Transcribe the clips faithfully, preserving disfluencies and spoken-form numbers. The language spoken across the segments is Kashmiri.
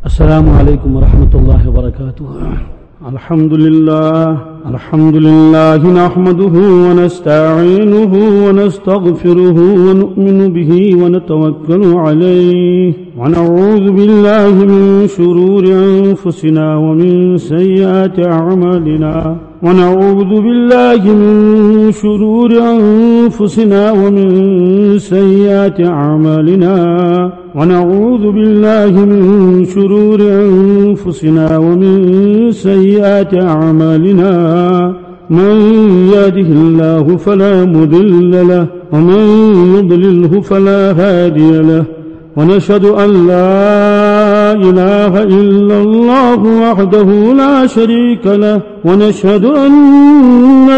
السلام عليكم ورحمة الله وبركاته. الحمد لله، الحمد لله نحمده ونستعينه ونستغفره ونؤمن به ونتوكل عليه ونعوذ بالله من شرور أنفسنا ومن سيئات أعمالنا. ونعوذ بالله من شرور أنفسنا ومن سيئات أعمالنا. ونعوذ بالله من شرور أنفسنا ومن سيئات أعمالنا. من يهده الله فلا مضل له، ومن يضلله فلا هادي له. ونشهد أن لا إله إلا الله وحده لا شريك له، ونشهد أن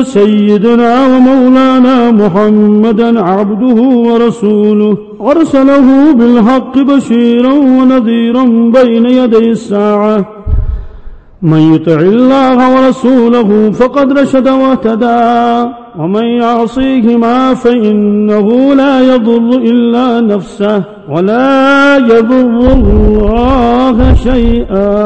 سيدنا ومولانا محمدا عبده ورسوله، أرسله بالحق بشيرا ونذيرا بين يدي الساعة. من يطع الله ورسوله فقد رشد واهتدى، ومن يعصيهما فإنه لا يضر إلا نفسه ولا يضر الله شيئا.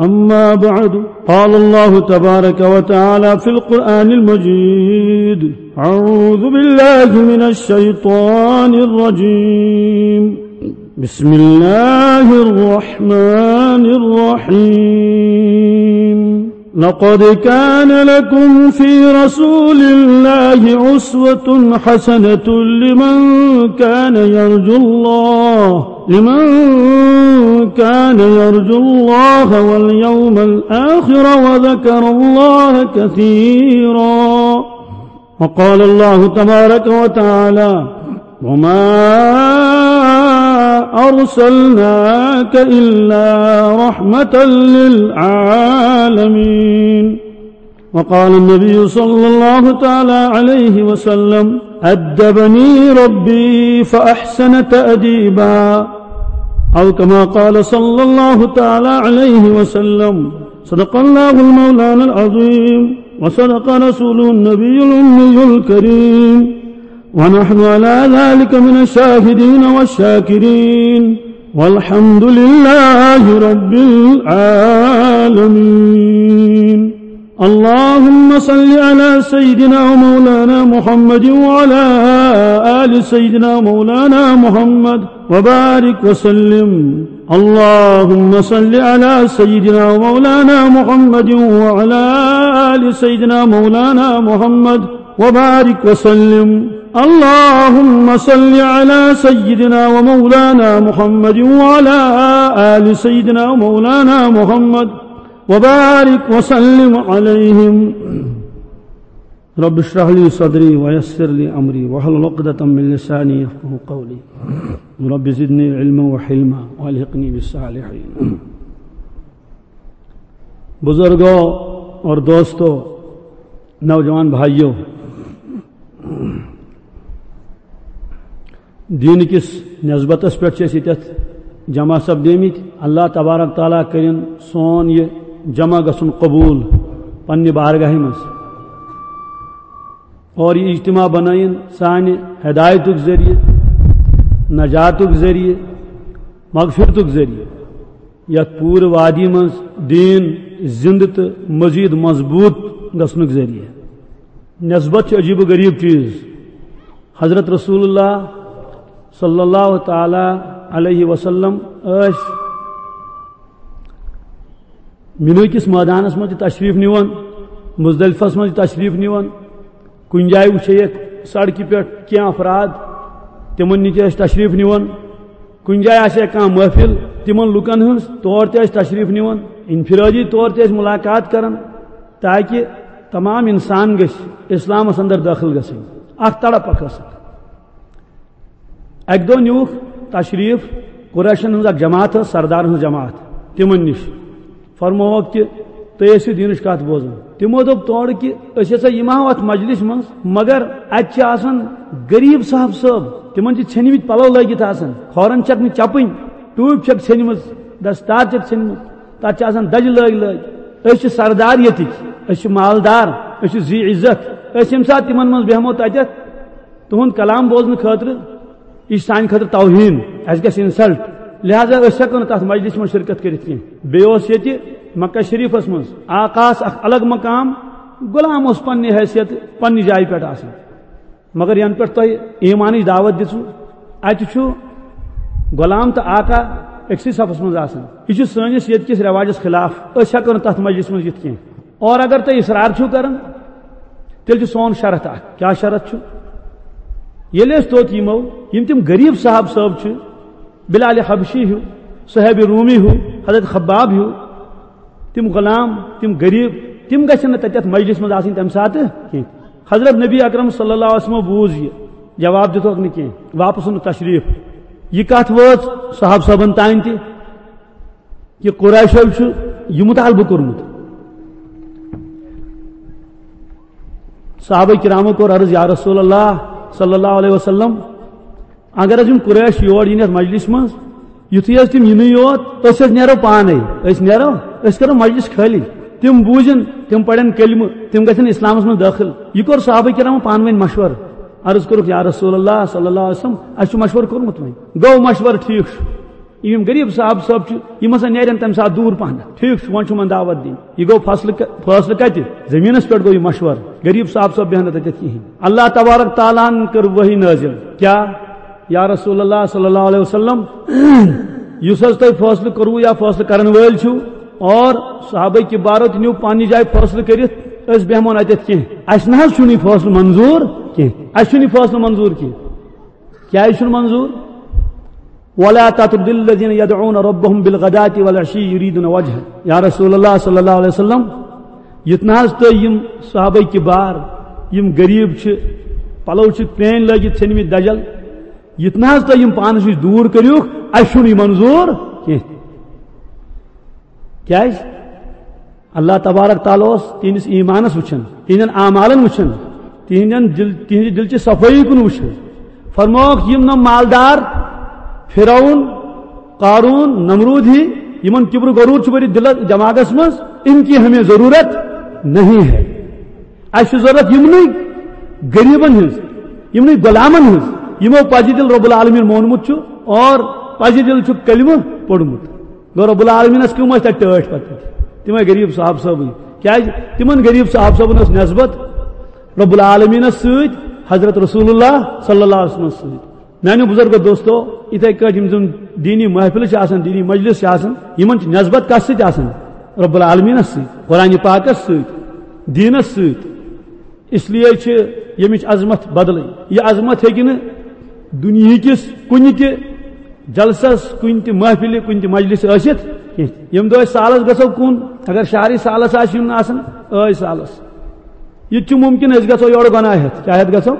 أما بعد، قال الله تبارك وتعالى في القرآن المجيد: أعوذ بالله من الشيطان الرجيم. بسم الله الرحمن الرحيم. لقد كان لكم في رسول الله أسوة حسنة لمن كان يرجو الله، لمن كان يرجو الله واليوم الآخر وذكر الله كثيرا. وقال الله تبارك وتعالى: وما أرسلناك إلا رحمة للعالمين. وقال النبي صلى الله تعالى عليه وسلم: أدبني ربي فأحسن تأديبا. أو كما قال صلى الله تعالى عليه وسلم. صدق الله المولانا العظيم، وصدق رسوله النبي الأمي الكريم، ونحن على ذلك من الشاهدين والشاكرين، والحمد لله رب العالمين. اللهم صل على سيدنا ومولانا محمد وعلى آل سيدنا مولانا محمد وبارك وسلم. اللهم صل على سيدنا ومولانا محمد وعلى آل سيدنا مولانا محمد وبارك وسلم. اللهم صل على سيدنا ومولانا محمد وعلى آل سيدنا مولانا محمد وبارك وسلم عليهم. رب اشرح لي صدري ويسر لي أمري واحلل عقدة من لساني يفقهوا قولي. رب زدني علما وحلما وألحقني بالصالحين. بزرگوں اور دوستوں، نوجوان بھائیوں، دین کس نسبتس پٮ۪ٹھ چھِ أسۍ ییٚتٮ۪تھ جمع سپدیمٕتۍ۔ اللہ تبارک تعالیٰ کٔرِن سون یہِ جمع گژھُن قبوٗل پننہِ بارگاہہِ منٛز۔ اور یہِ اجتماع بنٲیِن سانہِ ہدایتُک ذٔریعہٕ، نجاتُک ذٔریعہٕ، مغفرتُک ذٔریعہٕ، یتھ پوٗرٕ وادی منٛز دین زندٕ تہٕ مزید مضبوط گژھنُک ذٔریعہٕ۔ نسبت چھِ عجیب و غریب چیز۔ حضرت رسول اللہ صلی اللہ تعالیٰ علیہ وسلم ٲسۍ میٖنہٕ کِس مٲدانس منٛز تہِ تشریف نِوان، مزدلفس منٛز تہِ تشریف نِوان۔ کُنہِ جایہِ وٕچھے یتھ سڑکہِ پٮ۪ٹھ کینٛہہ افراد، تِمن نِش تہِ ٲسۍ تشریف نِوان۔ کُنہِ جایہِ آسہِ ہا کانٛہہ محفل تِمن لُکن ہٕنٛز، تور تہِ ٲسۍ تشریف نِوان، انفرادی طور تہِ ٲسۍ ملاقات کران، تاکہِ تمام انسان گژھِ اسلامس اندر دٲخل گژھٕنۍ۔ اکھ تڑپ اکھ ٲسٕکھ۔ اکہِ دۄہ نیوٗکھ تشریف قریشن ہٕنٛز اکھ جماعت ٲس، سردارن ہٕنٛز جماعت، تِمن نِش۔ فرمووُکھ کہِ تُہۍ ٲسِو دیٖنٕچ کتھ بوزان۔ تِمو دوٚپ تورٕ کہِ أسۍ ہسا یِمہٕ ہاو اتھ مجلس منٛز، مگر اتہِ چھِ آسان غریب صاحب صٲب، تِمن چھِ ژھیٚنمٕتۍ پلو لٲگِتھ آسان، کھورن چھکھ نہٕ چپٕنۍ، ٹوٗپۍ چھکھ ژھیٚنمٕژ، دستار چھکھ ژھیٚنمٕژ، تتھ چھِ آسان دجہِ لٲگۍ لٲگۍ۔ أسۍ چھِ سردار ییٚتِکۍ، أسۍ چھِ مالدار، أسۍ چھِ ذی عزت۔ أسۍ ییٚمہِ ساتہٕ تِمن منٛز بیٚہمو تتٮ۪تھ، تُہُنٛد کلام بوزنہٕ خٲطرٕ، یہِ چھُ سانہِ خٲطرٕ توہین، اَسہِ گژھِ insult۔ لہذا أسۍ ہٮ۪کو نہٕ تَتھ مجلسہِ منٛز شرکت کٔرِتھ کینٛہہ۔ بیٚیہِ اوس ییٚتہِ مکہ شریٖفَس منٛز آقاہَس اکھ الگ مقام، غلام اوس پننہِ حیثیت پننہِ جایہِ پٮ۪ٹھ آسان۔ مگر ینہٕ پٮ۪ٹھ تۄہہِ ایمانٕچ دعوت دِژوٕ، اتہِ چھُ غلام تہٕ آقا أکسٕے صفس منٛز آسان۔ یہِ چھُ سٲنِس ییٚتہِ کِس رٮ۪واجس خلاف، أسۍ ہٮ۪کو نہٕ تتھ مجلسہِ منٛز یِتھ کینٛہہ۔ اور اگر تُہۍ اصرار چھِو کران، تیٚلہِ چھُ سون شرط اکھ۔ کیٛاہ شرط چھُ؟ ییٚلہِ أسۍ توٚت یِمو، یِم تِم غریٖب صاحب صٲب چھِ، بلال حبشی ہیوٗ، صہیب رومی ہیوٗ، حضرت خباب ہیوٗ، تِم غلام، تِم غریٖب، تِم گژھن نہٕ تَتہِ تَتھ مجلس منٛز آسٕنۍ تَمہِ ساتہٕ کینٛہہ۔ حضرت نبی اکرم صلی اللہ علیہ وسلمو بوٗز یہِ، جواب دِتُکھ نہٕ کینٛہہ، واپس اوٚن نہٕ تشریٖف۔ یہِ کَتھ وٲژ صحابہٕ صٲبن تام تہِ، کہِ قریشو چھُ یہِ مُطالبہٕ کوٚرمُت۔ صحابہ کرامو کوٚر عرض، یا رسول اللہ صلی اللہ علیہ وسلم، اگر حظ یِم قریش یور یِن یَتھ مجلس منٛز، یُتھُے حظ تِم یِنٕے یوت، أسۍ حظ نیرو پانے، أسۍ نیرو، أسۍ کرو مجلس خٲلی۔ تِم بوٗزن، تِم پرن کلمہٕ، تِم گژھن اسلامس منٛز دٲخل۔ یہِ کوٚر صحابہ کرامو پانہٕ ؤنۍ مشورٕ۔ عرض کوٚرُکھ، یا رسول اللہ صلی اللہ علیہ وسلم، اَسہِ چھُ مشورٕ کوٚرمُت وۄنۍ۔ گوٚو مشورٕ، ٹھیٖک چھُ۔ یِم غریٖب صاحب صٲب چھِ، یِم ہسا نیرن تَمہِ ساتہٕ دوٗر پہن۔ ٹھیٖک چھُ، وۄنۍ چھُ یِمن دعوت دِنۍ۔ یہِ گوٚو فٲصلہٕ ک-، فٲصلہٕ کَتہِ؟ زٔمیٖنَس پٮ۪ٹھ گوٚو یہِ مشورٕ۔ غریٖب صاحب صٲب بیٚہن نہٕ تَتٮ۪تھ کِہیٖنۍ۔ اللہ تبارک تعالیٰ ہن کٔر وحی نٲزِل۔ کیٛاہ؟ یا رسول اللہ صلی اللہ علیہ وسلم، یُس حظ تۄہہِ فٲصلہٕ کوٚروٕ یا فٲصلہٕ کرن وٲلۍ چھِو، اور صحابہ کبارو تہِ نیوٗ پننہِ جایہِ فٲصلہٕ کٔرِتھ، أسۍ بیٚہمو نہٕ اَتٮ۪تھ کینٛہہ۔ اَسہِ نہ حظ چھُنہٕ یہِ فٲصلہٕ منظوٗر کینٛہہ۔ اَسہِ چھُنہٕ یہِ فٲصلہٕ منظوٗر کینٛہہ۔ کیٛازِ چھُنہٕ منظوٗر؟ ولا تطرد الذين يدعون ربهم بالغداة والعشي يريدون وجهه۔ یا رسول اللہ صلی اللہ علیہ وسلم، یِتھ نہ حظ تُہۍ یِم صحابہ کبار، یِم غریٖب چھِ، پلو چھِ پرٛٲنۍ لٲگِتھ ژھیٚنمٕتۍ دجل، یِتھ نہ حظ تُہۍ یِم پانس نِش دوٗر کٔرِوکھ، اَسہِ چھُنہٕ یہِ منظوٗر کینٛہہ۔ کیٛازِ؟ اللہ تبارک تعالیٰ اوس تِہنٛدِس ایٖمانس وٕچھان، تِہنٛدٮ۪ن اعمالن وٕچھان، تِہنٛدٮ۪ن دِل، تِہنٛدِ دِلچہِ صفٲیی کُن وٕچھان۔ فرمووُکھ، یِم نہٕ مالدار، فرعون، قارون، نمرود ہی، یِمن کبر و غرور چھُ بٔرِتھ دِلس دٮ۪ماغس منٛز، ان کی ہمیں ضرورت نہیں ہے۔ اَسہِ چھُ ضرورت یِمنٕے غریٖبن ہٕنٛز، یِمنٕے غلامن ہٕنٛز، یِمو پزِ دِل رب العالمین مونمُت چھُ اور پزِ دِل چھُ کلمہٕ پوٚرمُت۔ گوٚو رب العالمینس کٕم ٲسۍ تَتہِ ٹٲٹھۍ پتہٕ؟ تِمے غریٖب صاحب صٲبٕے۔ کیٛازِ؟ تِمن غریٖب صاحب صٲبن ٲس نسبت رب العالمینس سۭتۍ، حضرت رسول اللہ صلی اللہ علیہ وسلمس سۭتۍ۔ میانیو بزرگو دوستو، یِتھے کٲٹھۍ یِم زن دیٖنی محفلہٕ چھِ آسان، دیٖنی مجلس چھِ آسان، یِمن چھِ نسبت کس سۭتۍ آسان؟ رب العالمینس سۭتۍ، قرآن پاکس سۭتۍ، دیٖنس سۭتۍ۔ اس لیے چھِ ییٚمِچ عظمت بدلٕے۔ یہِ عظمت ہیٚکہِ نہٕ دُنیہکِس کُنہِ تہِ جلسس، کُنہِ تہِ محفلہِ، کُنہِ تہِ مجلسہِ ٲسِتھ کینٛہہ۔ ییٚمہِ دۄہ أسۍ سالس گژھو کُن، اگر شہرٕے سالس آسہِ یُن آسان، ٲے سالس۔ یہِ تہِ چھُ مُمکِن أسۍ گژھو یورٕ گۄناہ ہٮ۪تھ۔ کیٛاہ ہٮ۪تھ گژھو؟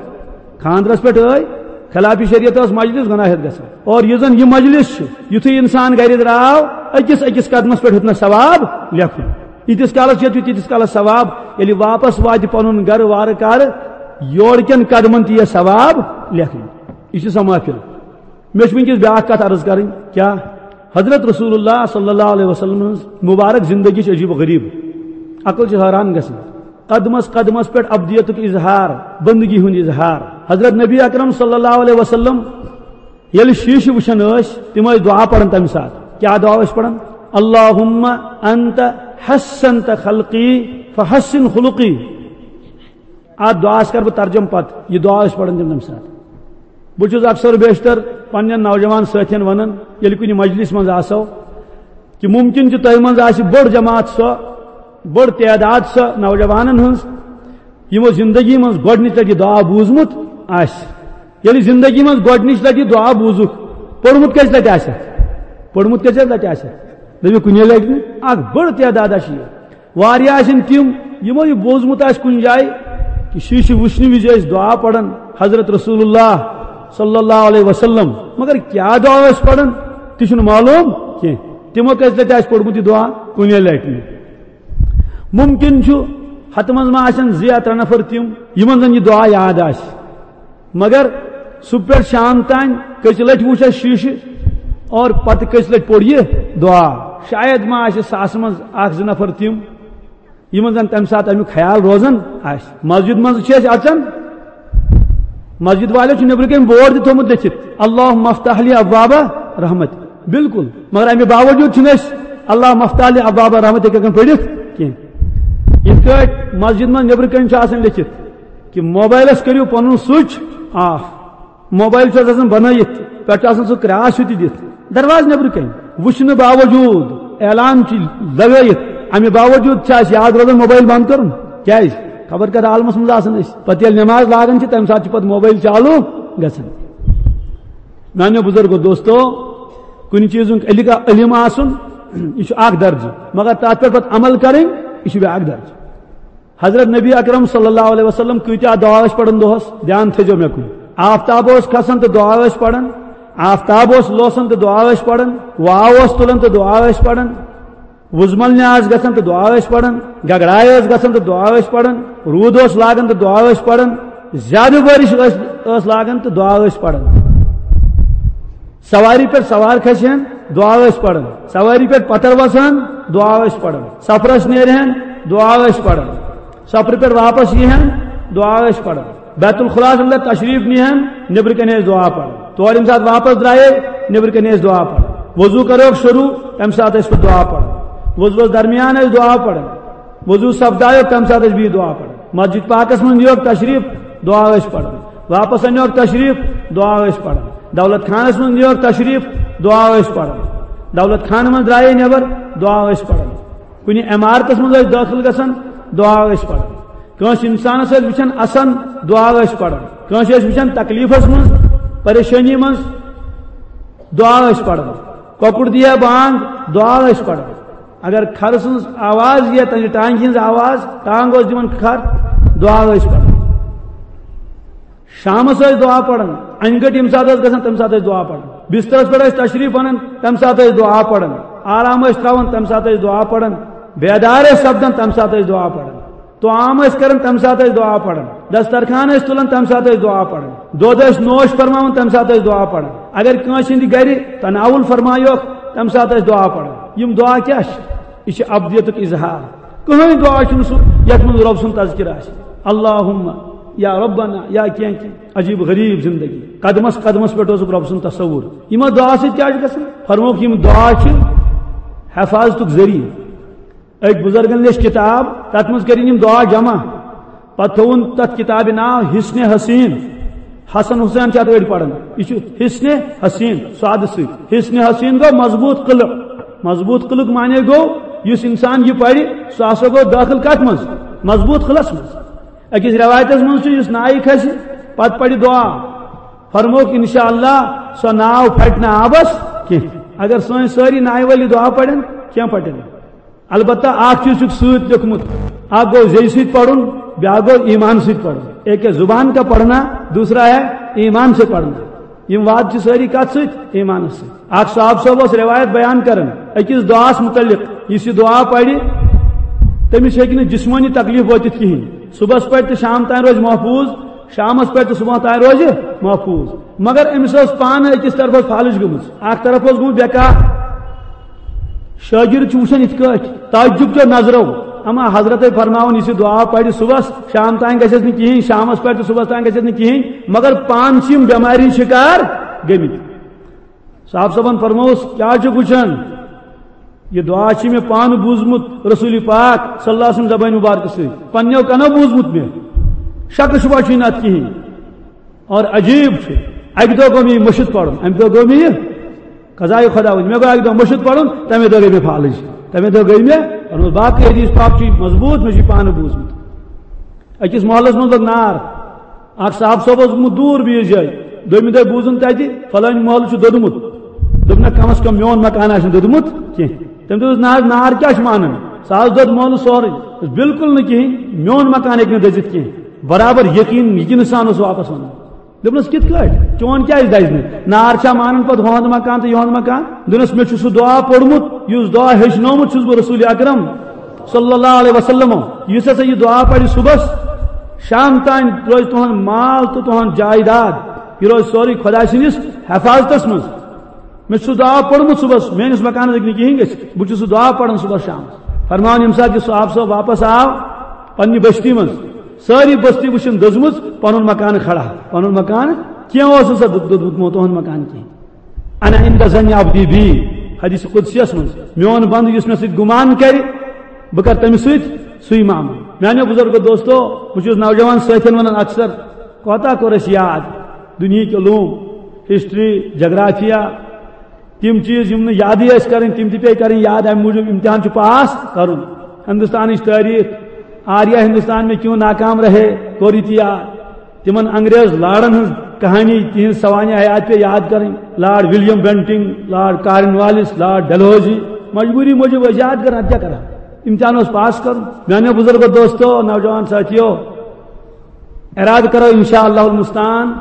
خانٛدرس پٮ۪ٹھ ٲے، خلاف شریعت ٲس مجلس، گۄناہ ہٮ۪تھ گژھو۔ اور یُس زن یہِ مجلس چھُ، یُتھُے انسان گرِ درٛاو، أکِس أکِس قدمس پٮ۪ٹھ ہیوٚتنس ثواب لیکھُن۔ ییٖتِس کالس ییٚتہِ چھُ، تیٖتِس کالس ثواب۔ ییٚلہِ واپس واتہِ پنُن گرٕ وارٕ کارٕ، یورٕ کٮ۪ن قدمن تہِ یِیہِ ثواب لیکھنہٕ۔ یہِ چھِ سۄ محفل۔ مےٚ چھِ وٕنکیٚس بیٛاکھ کتھ عرض کرٕنۍ۔ کیٛاہ؟ حضرت رسول اللہ صلی اللہ علیہ وسلم ہٕنٛز مبارک زندگی چھِ عجیب و غریب۔ عقل چھِ حٲران گژھان۔ قدمس قدمس پٮ۪ٹھ عبدیتُک اظہار، بندگی ہُنٛد اظہار۔ حضرت نبی اکرم صلی اللہ علیہ وسلم ییٚلہِ شیٖشہٕ وٕچھان ٲسۍ، تِم ٲسۍ دُعا پران تَمہِ ساتہٕ۔ کیٛاہ دُعا ٲسۍ پران؟ اللہم انت حسنت خلقی فحسن خلقی۔ اتھ دُعاہس کرٕ بہٕ ترجمہٕ پتہٕ، یہِ دُعا ٲسۍ پران تِم تَمہِ ساتہٕ۔ بہٕ چھُس اکثر و بیشتر پننٮ۪ن نوجوان سٲتھٮ۪ن ونان، ییٚلہِ کُنہِ مجلس منٛز آسو، کہِ مُمکِن چھُ تۄہہِ منٛز آسہِ بٔڑ جماعت سۄ، بٔڑ تعداد سۄ نوجوانن ہٕنٛز، یِمو زندگی منٛز گۄڈٕنِچ لٹہِ یہِ دُعا بوٗزمُت آسہِ۔ ییٚلہِ زندگی منٛز گۄڈٕنِچ لٹہِ یہِ دُعا بوٗزُکھ، پوٚرمُت کٔژِ لٹہِ آسٮ۪کھ؟ پوٚرمُت کٔژِ لٹہِ آسٮ۪کھ؟ دٔپِو، کُنے لٹہِ نہٕ۔ اکھ بٔڑ تعداد آسہِ یہِ۔ واریاہ آسن تِم، یِمو یہِ بوٗزمُت آسہِ کُنہِ جایہِ کہِ شیٖشہٕ وٕچھنہٕ وِزِ ٲسۍ دُعا پران حضرت رسول اللہ صلی اللہ علیہ وسلم، مگر کیٛاہ دُعا ٲسۍ پران، تہِ چھُنہٕ معلوم کینٛہہ۔ تِمو کٔژِ لٹہِ آسہِ پوٚرمُت یہِ دُعا؟ کُنے لٹہِ نہٕ۔ مُمکِن چھُ ہتہٕ منٛز ما آسن زٕ یا ترٛےٚ نفر تِم، یِمن زن یہِ دُعا یاد آسہِ۔ مگر صبح پٮ۪ٹھ شام تام کٔژِ لٹہِ وُچھ اَسہِ شیٖشہٕ اور پتہٕ کٔژِ لٹہِ پوٚر یہِ دُعا؟ شاید ما آسہِ ساسہٕ منٛز اکھ زٕ نفر تِم، یِمن زن تمہِ ساتہٕ امیُک خیال روزان آسہِ۔ مسجد منٛز چھِ أسۍ اژان، مسجد والے چھُ نیٚبرٕ کَنۍ بورڈ تہِ تھوٚمُت لیٚکھِتھ، "اللہم افتح لی ابواب رحمت"، بالکل، مگر اَمہِ باوجوٗد چھِنہٕ أسۍ "اللہم افتح لی ابواب رحمت" ہیٚکان پٔرِتھ کینٛہہ۔ یِتھ کٲٹھۍ مسجد منٛز نیٚبرٕ کَنۍ چھُ آسان لیٚکھِتھ کہِ موبایلَس کٔرِو پَنُن سُچ آف، موبایل چھُ آسان بنٲیِتھ، پٮ۪ٹھٕ چھُ آسان سُہ کراس ہیوٗ تہِ دِتھ، دروازٕ نیٚبرٕ کَنۍ وٕچھنہٕ باوجوٗد، اعلان چھُ لگٲیِتھ، اَمہِ باوجوٗد چھُ اَسہِ یاد روزان موبایل بنٛد کَرُن۔ کیٛازِ؟ خبر کَتھ عالمَس منٛز آسان أسۍ۔ پَتہٕ ییٚلہِ نٮ۪ماز لاگان چھِ، تَمہِ ساتہٕ چھِ پَتہٕ موبایل چالوٗ گژھان۔ میٛانیو بُزرگو دوستو، کُنہِ چیٖزُک علم، علم آسُن، یہِ چھُ اَکھ درجہٕ، مگر تَتھ پٮ۪ٹھ پَتہٕ عمل کَرٕنۍ، یہِ چھُ بیٛاکھ درجہٕ۔ حضرت نبی اکرم صلی اللہ علیہ وسلم کۭتیاہ دعا ٲسۍ پران دۄہس؟ دھیان تھٲیزیو مےٚ کُن۔ آفتاب اوس کھسان تہٕ دعا ٲسۍ پران، آفتاب اوس لوسان تہٕ دعا ٲسۍ پران، واو اوس تُلان تہٕ دعا ٲسۍ پران، وُزمل نیاز گژھان تہٕ دعا ٲسۍ پران، گگڑایہِ ٲس گژھان تہٕ دعا ٲسۍ پران، روٗد اوس لاگان تہٕ دعا ٲسۍ پران، زیادٕ بٲرِش ٲس، ٲس لاگان تہٕ دعا ٲسۍ پران۔ سواری پٮ۪ٹھ سوار کھسہِ ہن، دعا ٲسۍ پران۔ سواری پٮ۪ٹھ پتھر وسہٕ ہن، دعا ٲسۍ پران۔ سفرس نیرِ ہن، دعا ٲسۍ پران۔ سفرٕ پٮ۪ٹھ واپس یی ہن، دعا ٲسۍ پران۔ بیت الخلاس اندر تشریف نی ہن، نیبرٕ کنہِ ٲسۍ دعا پران۔ تورٕ ییٚمہِ ساتہٕ واپس درٛایے، نیبرٕ کنہِ ٲسۍ دعا پران۔ وضو کروکھ شروع، تمہِ ساتہٕ ٲسۍ پتہٕ دعا پران۔ وضوس درمیان ٲسۍ دعا پران۔ وضو سپدایو، تمہِ ساتہٕ ٲسۍ بیٚیہِ دعا پران۔ مسجد پاکس منٛز نیوکھ تشریف، دعا ٲسۍ پران۔ واپس انیوکھ تشریف، دعا ٲسۍ پران۔ دولت خانس منٛز نیوکھ تشریف، دعا ٲسۍ پران۔ دولت خانہٕ منٛز درٛایے نٮ۪بر، دعا ٲسۍ پران۔ کُنہِ عمارتس منٛز ٲسۍ دٲخل گژھان، دعا ٲسۍ پران۔ کٲنٛسہِ انسانس ٲسۍ وٕچھان اسان، دعا ٲسۍ پران۔ کٲنٛسہِ ٲسۍ وٕچھان تکلیفس منٛز، پریشٲنی منٛز، دعا ٲسۍ پران۔ کۄکُر دِیا بانگ، دعا ٲسۍ پران۔ اگر کھرٕ سٕنٛز آواز یا تَمہِ ٹانگہِ ہٕنٛز آواز، ٹانگ اوس دِوان کھر، دعا ٲسۍ پران۔ شامس ٲسۍ دعا پران، انہِ گٔٹۍ ییٚمہِ ساتہٕ ٲس گژھان، تَمہِ ساتہٕ ٲسۍ دعا پران۔ بسترس پٮ۪ٹھ ٲسۍ تشریف انان، تَمہِ ساتہٕ ٲسۍ دعا پران۔ آرام ٲسۍ تراوان، تَمہِ ساتہٕ ٲسۍ دعا پران۔ بیدار ٲسۍ سپدان، تَمہِ ساتہٕ ٲسۍ دعا پران۔ طعام ٲسۍ کران، تَمہِ ساتہٕ ٲسۍ دعا پران۔ دسترخوان ٲسۍ تُلان، تَمہِ ساتہٕ ٲسۍ دعا پران۔ دۄد ٲسۍ نوش فرماوان، تَمہِ ساتہٕ ٲسۍ دعا پران۔ اگر کٲنٛسہِ ہٕنٛدِ گرِ تناول فرمایوکھ، تَمہِ ساتہٕ ٲسۍ دعا پران۔ یِم دعا کیٛاہ چھِ؟ یہِ چھِ عبدیتُک اظہار۔ کٕہٕنۍ دعا چھُنہٕ سُہ یَتھ منٛز رۄب سُنٛد تذکرٕ آسہِ۔ اللہم، یا ربنا، یا کینٛہہ کینٛہہ۔ عجیب غریب زندگی۔ قدمس قدمس پٮ۪ٹھ اوسُکھ رۄب سُنٛد تصور۔ یِمو دعا سۭتۍ کیٛاہ چھُ گژھان؟ فرمووُکھ، یِم دعا چھِ حفاظتُک ذٔریعہٕ۔ أکۍ بُزرگن لیٚچھ کِتاب، تَتھ منٛز کٔرِن یِم دعا جمع۔ پتہٕ تھووُن تَتھ کِتابہِ ناو حصن حسین۔ حسن حسین چھِ اَتھ أڑۍ پران۔ یہِ چھُ حصن حسین، سادٕ سۭتۍ۔ حصن حسین گوٚو مضبوٗط قلعہٕ۔ مضبوٗط قلعُک معنی گوٚو، یُس انسان یہِ پرِ، سُہ ہسا گوٚو دٲخل کَتھ منٛز؟ مضبوٗط قلعس منٛز۔ أکِس رٮ۪وایتس منٛز چھُ، یُس نایہِ کھسہِ، پتہٕ پرِ دعا، فرمووُکھ، انشاءاللہ سۄ ناو پھٹہِ نہٕ آبس کینٛہہ۔ اگر سٲنۍ سٲری نایہِ وٲلۍ یہِ دعا پرن، کینٛہہ پھٹہِ نہٕ۔ البتہ اکھ چیٖز چھُکھ سۭتۍ لیوٚکھمُت، اکھ گوٚو زیٚیہِ سۭتۍ پرُن، بیٛاکھ گوٚو ایمان سۭتۍ پرُن۔ ایک ہے زبان کا پڑھنا، دوسرا ہے ایمان سے پڑھنا۔ یِم وعدٕ چھِ سٲری کتھ سۭتۍ؟ ایمانس سۭتۍ۔ اکھ صاحب صٲب اوس رٮ۪وایت بیان کران أکِس دعاہس مُتعلق، یُس یہِ دعا پرِ، تٔمِس ہیٚکہِ نہٕ جسمٲنی تکلیف وٲتِتھ کِہینۍ۔ صبحس پرِ تہٕ شام تام روزِ محفوٗظ، شامس پرِ تہٕ صبح تام روزِ محفوٗظ۔ مگر أمِس ٲس پانہٕ أکِس طرفس فالج گٔمٕژ، اکھ طرف اوس گوٚمُت بیکار۔ شٲگِرد چھُ وٕچھان یِتھ کٲٹھۍ، تعجب چیو نظرو۔ اما حضرت فرماوان، یُس یہِ دعا پرِ صبحس، شام تام گژھٮ۪س نہٕ کِہینۍ، شامس پرِ تہٕ صبحس تام گژھٮ۪س نہٕ کِہینۍ، مگر پانہٕ چھِ یِم بٮ۪مارِ ہِنٛدۍ شِکار گٔمٕتۍ۔ صاحب صٲبن فرمووُس، کیٛاہ چھُکھ وٕچھان؟ یہِ دعا چھِ مےٚ پانہٕ بوٗزمُت رسول پاک صلی اللہ علیہ وسلم زبانہِ مبارکہٕ سۭتۍ، پننیو کنو بوٗزمُت مےٚ، شکہٕ شبہ چھُے نہٕ اتھ کِہینۍ۔ اور عجیب چھُ، اکہِ دۄہ گوٚو مےٚ یہِ مٔشِتھ پرُن، امہِ دۄہ گوٚو مےٚ یہِ قضایہِ خۄداوندی، مےٚ گوٚو اکہِ دۄہ مٔشِتھ پرُن، تمے دۄہ گٔے مےٚ فالج، تمے دۄہ گٔے مےٚ، اور باقٕے حدیث پاک چھِ مضبوٗط، مےٚ چھُ یہِ پانہٕ بوٗزمُت۔ أکِس محلس منٛز لوٚگ نار۔ اکھ صاحب صٲب اوس گوٚمُت دوٗر بیٚیِس جایہِ۔ دوٚیمہِ دۄہہِ بوٗزُن تَتہِ، فلٲنۍ محلہٕ چھُ دوٚدمُت۔ دوٚپُن، "نہ، کم از کم میون مکان آسہِ نہٕ دوٚدمُت کینٛہہ۔" تٔمۍ دوٚپُس، "نہ حظ، نار کیٛاہ چھُ مانان؟ سُہ حظ دوٚد محلہٕ سورُے۔" دوٚپُس، "بِلکُل نہٕ کِہیٖنۍ، میون مکان ہیٚکہِ نہٕ دٔزِتھ کینٛہہ۔" برابر یقیٖن، یہِ کِنہٕ سان اوس واپس وَنان۔ دوٚپنَس، "کِتھ کٲٹھۍ؟ چون کیٛازِ دَزِ نہٕ؟ نار چھا مانان پَتہٕ ہُہُنٛد مکان تہٕ یِہُنٛد مکان؟" دوٚپنَس، "مےٚ چھُ سُہ دُعا پوٚرمُت، یُس دُعا ہیٚچھنومُت چھُس بہٕ رسول اکرم صلی اللہ علیہ وسلم، یُس ہسا یہِ دعا پرِ صبحس، شام تام روزِ تُہُنٛد مال تہٕ تُہُنٛد جائیداد، یہِ روزِ سورُے خۄداے سٕنٛدِس حفاظتس منٛز۔ مےٚ چھُ سُہ دعا پوٚرمُت صبحس، میٲنِس مکانس ہیٚکہِ نہٕ کِہیٖنۍ گٔژھِتھ، بہٕ چھُس سُہ دعا پران صبحس شامس۔" فرمان، ییٚمہِ ساتہٕ یہِ صاحب صٲب واپس آو پننہِ بستی منٛز، ساری بستی وٕچھن دٔزمٕژ، پنُن مکان کھڑا، پنُن مکان کینٛہہ اوس نہٕ سا دوٚد-، دوٚدمُت تُہُنٛد مکان کینٛہہ۔ انا عند ظن عبدی بی، حدیث قدسیس منٛز، میون بندٕ یُس مےٚ سۭتۍ گُمان کرِ، بہٕ کرٕ تٔمِس سۭتۍ سُے معاملہٕ۔ میانیو بزرگو دوستو، بہٕ چھُس نوجوان سٲتھٮ۪ن ونان اکثر، کوتاہ کوٚر اَسہِ یاد دُنیہٕکۍ علوم، ہسٹری، جغرافیہ، تِم چیٖز یِم نہٕ یادٕے ٲسۍ کرٕنۍ، تِم تہِ پیٚیہِ کرٕنۍ یاد۔ اَمہِ موٗجوٗب امتحان چھُ پاس کرُن۔ ہندوستانٕچ تٲریٖخ، آریا ہندوستان میں کیوں ناکام رہے، کوٚر یہِ تہِ یاد۔ تِمن انگریز لاڑن ہٕنٛز کہانی، تِہنٛز سوانح حیات پیٚیہِ یاد کرٕنۍ۔ Lord William Bentinck, lord Cornwallis, lord Dalhousie, مجبوٗری موٗجوٗب ٲسۍ یاد کران، اَدٕ کیٛاہ کران؟ امتحان اوس پاس کرُن۔ میانیو بزرگو دوستو، نوجوان ساتھیو، ارادٕ کرو انشاءاللہ المستعان،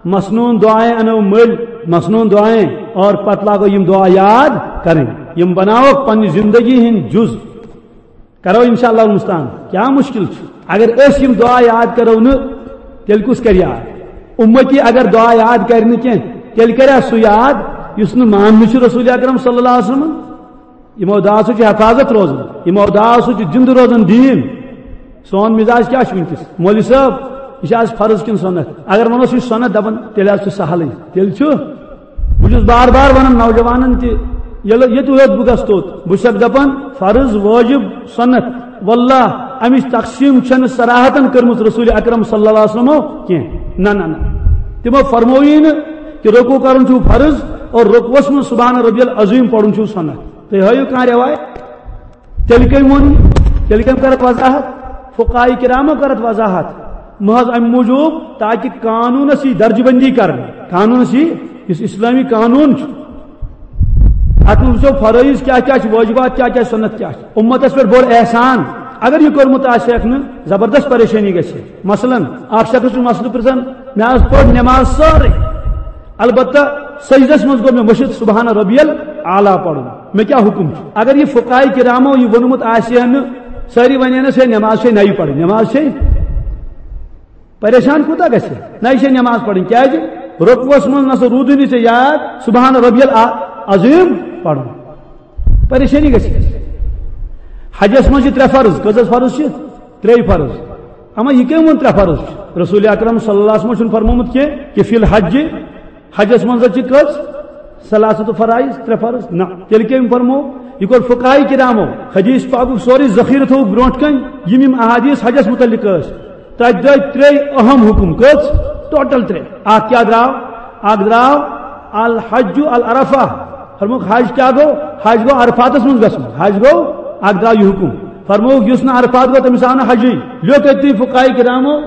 مسنون دعائیں انو مٔلۍ، مسنون دعائیں، اور پتہٕ لاگو یِم دعا یاد کرٕنۍ، یِم بناوکھ پننہِ زندگی ہٕنٛدۍ جُز۔ کرو انشاءاللہ المستعان۔ کیٛاہ مشکل چھُ؟ اگر أسۍ یِم دعا یاد کرو نہٕ، تیٚلہِ کُس کرِ یاد؟ اُمتی اگر دعا یاد کرِ نہٕ کینٛہہ، تیٚلہِ کرِ سُہ یاد یُس نہٕ ماننہٕ چھُ رسول اکرم صلی اللہ علیہ وسلم۔ یِمو دعا سۭتۍ چھِ حفاظت روزان، یِمو دعا سۭتۍ چھُ زِندٕ روزان دیٖن۔ سون مزاج کیٛاہ چھُ وٕنکیٚس؟ مولوی صٲب، یہِ چھِ آز فرض کِنہٕ سُنت؟ اگر وَنوس یہِ چھُ سُنت، دَپان، تیٚلہِ حظ چھُ سہلٕے۔ تیٚلہِ چھُ، بہٕ چھُس بار بار وَنان نوجوانَن تہِ، ییٚلہِ ییٚتہِ ووت بہٕ گژھٕ توٚت، بہٕ چھُسَکھ دَپان، فرض، وٲجِب، سُنت، واللہ، اَمِچ تقسیٖم چھَنہٕ صراحتاً کٔرمٕژ رسول اکرم صلی اللہ علیہ وسلمو کینٛہہ۔ نہ، نہ، نہ۔ تِمو فرمووُے نہٕ کہِ رکوع کَرُن چھُ فرض اور رکوعس منٛز سبحان ربی العظیم پَرُن چھُ سُنت۔ تُہۍ ہٲیِو کانٛہہ رٮ۪وایت؟ تیٚلہِ کٔمۍ ووٚن؟ تیٚلہِ کٔمۍ کٔر اَتھ وضاحت؟ فقہاء کرامو کٔر اَتھ وضاحت۔ محض اَمہِ موٗجوٗب تاکہِ قانوٗنَس یی درجہٕ بندی کرنہٕ، قانوٗنَس یی، یُس اسلٲمی قانوٗن چھُ، اَتھ منٛز وٕچھو فرٲیض کیٛاہ کیٛاہ چھِ، وٲجبات کیٛاہ کیٛاہ چھِ، سُنت کیٛاہ چھِ۔ اُمتَس پٮ۪ٹھ بوٚڑ احسان، اگر یہِ کوٚرمُت آسہِ ہٮ۪کھ نہٕ، زبردست پریشٲنی گژھِ۔ مثلاً، اکھ شخص چھُ مسلہٕ پرٛژھان، مےٚ حظ پٔر نٮ۪ماز سٲرٕے، البتہ سجدس منٛز گوٚو مےٚ مٔشِتھ سبحان ربی الاعلیٰ پرُن، مےٚ کیٛاہ حُکم چھُ؟ اگر یہِ فقہاء کرامو یہِ ووٚنمُت آسہِ ہا نہٕ، سٲری ونہِ ہنس، ہے، نٮ۪ماز چھے نَیہِ پرٕنۍ، نٮ۪ماز چھے، پریشان کوٗتاہ گژھِ؟ نَیہِ چھے نٮ۪ماز پرٕنۍ، کیٛازِ؟ رکوعس منٛز نہ سا روٗدُے نہٕ ژےٚ یاد سبحان ربی العظیم پرُن، پریشٲنی گژھِ۔ حجس منٛز چھِ ترٛےٚ فرض، کٔژ حظ فرض چھِ؟ ترٛے فرض۔ اما یہِ کٔمۍ ووٚن ترٛےٚ فرض چھِ؟ رسول اکرم صلی اللہ علیہ وسلم چھُنہٕ فرمومُت کینٛہہ کہِ فی الحج، حجس منٛز حظ چھِ کٔژ؟ ثلاثت فرائض، ترٛےٚ فرض؟ نہ۔ تیٚلہِ کٔمۍ فرمو؟ یہِ کوٚر فقہاء کرامو۔ حدیث پاکُک سورُے ذخیرٕ تھوٚوُکھ برونٛٹھ کَنۍ، یِم یِم احادیث حجس متعلق ٲسۍ۔ تَتہِ درٛاے ترٛے اہم حُکم۔ کٔژ؟ ٹوٹل ترٛےٚ۔ اکھ کیٛاہ درٛاو؟ اکھ درٛاو الحج العرفہ۔ فرمووُکھ، حج کیٛاہ گوٚو؟ حج گوٚو عرفاتس منٛز گژھُن۔ حج گوٚو، اکھ درٛاو یہِ حُکم۔ فرمووُکھ، یُس نہٕ عرفات گوٚو، تٔمِس آو نہٕ حجٕے۔ لیوٚکھ أتھی فقہاء کرامو،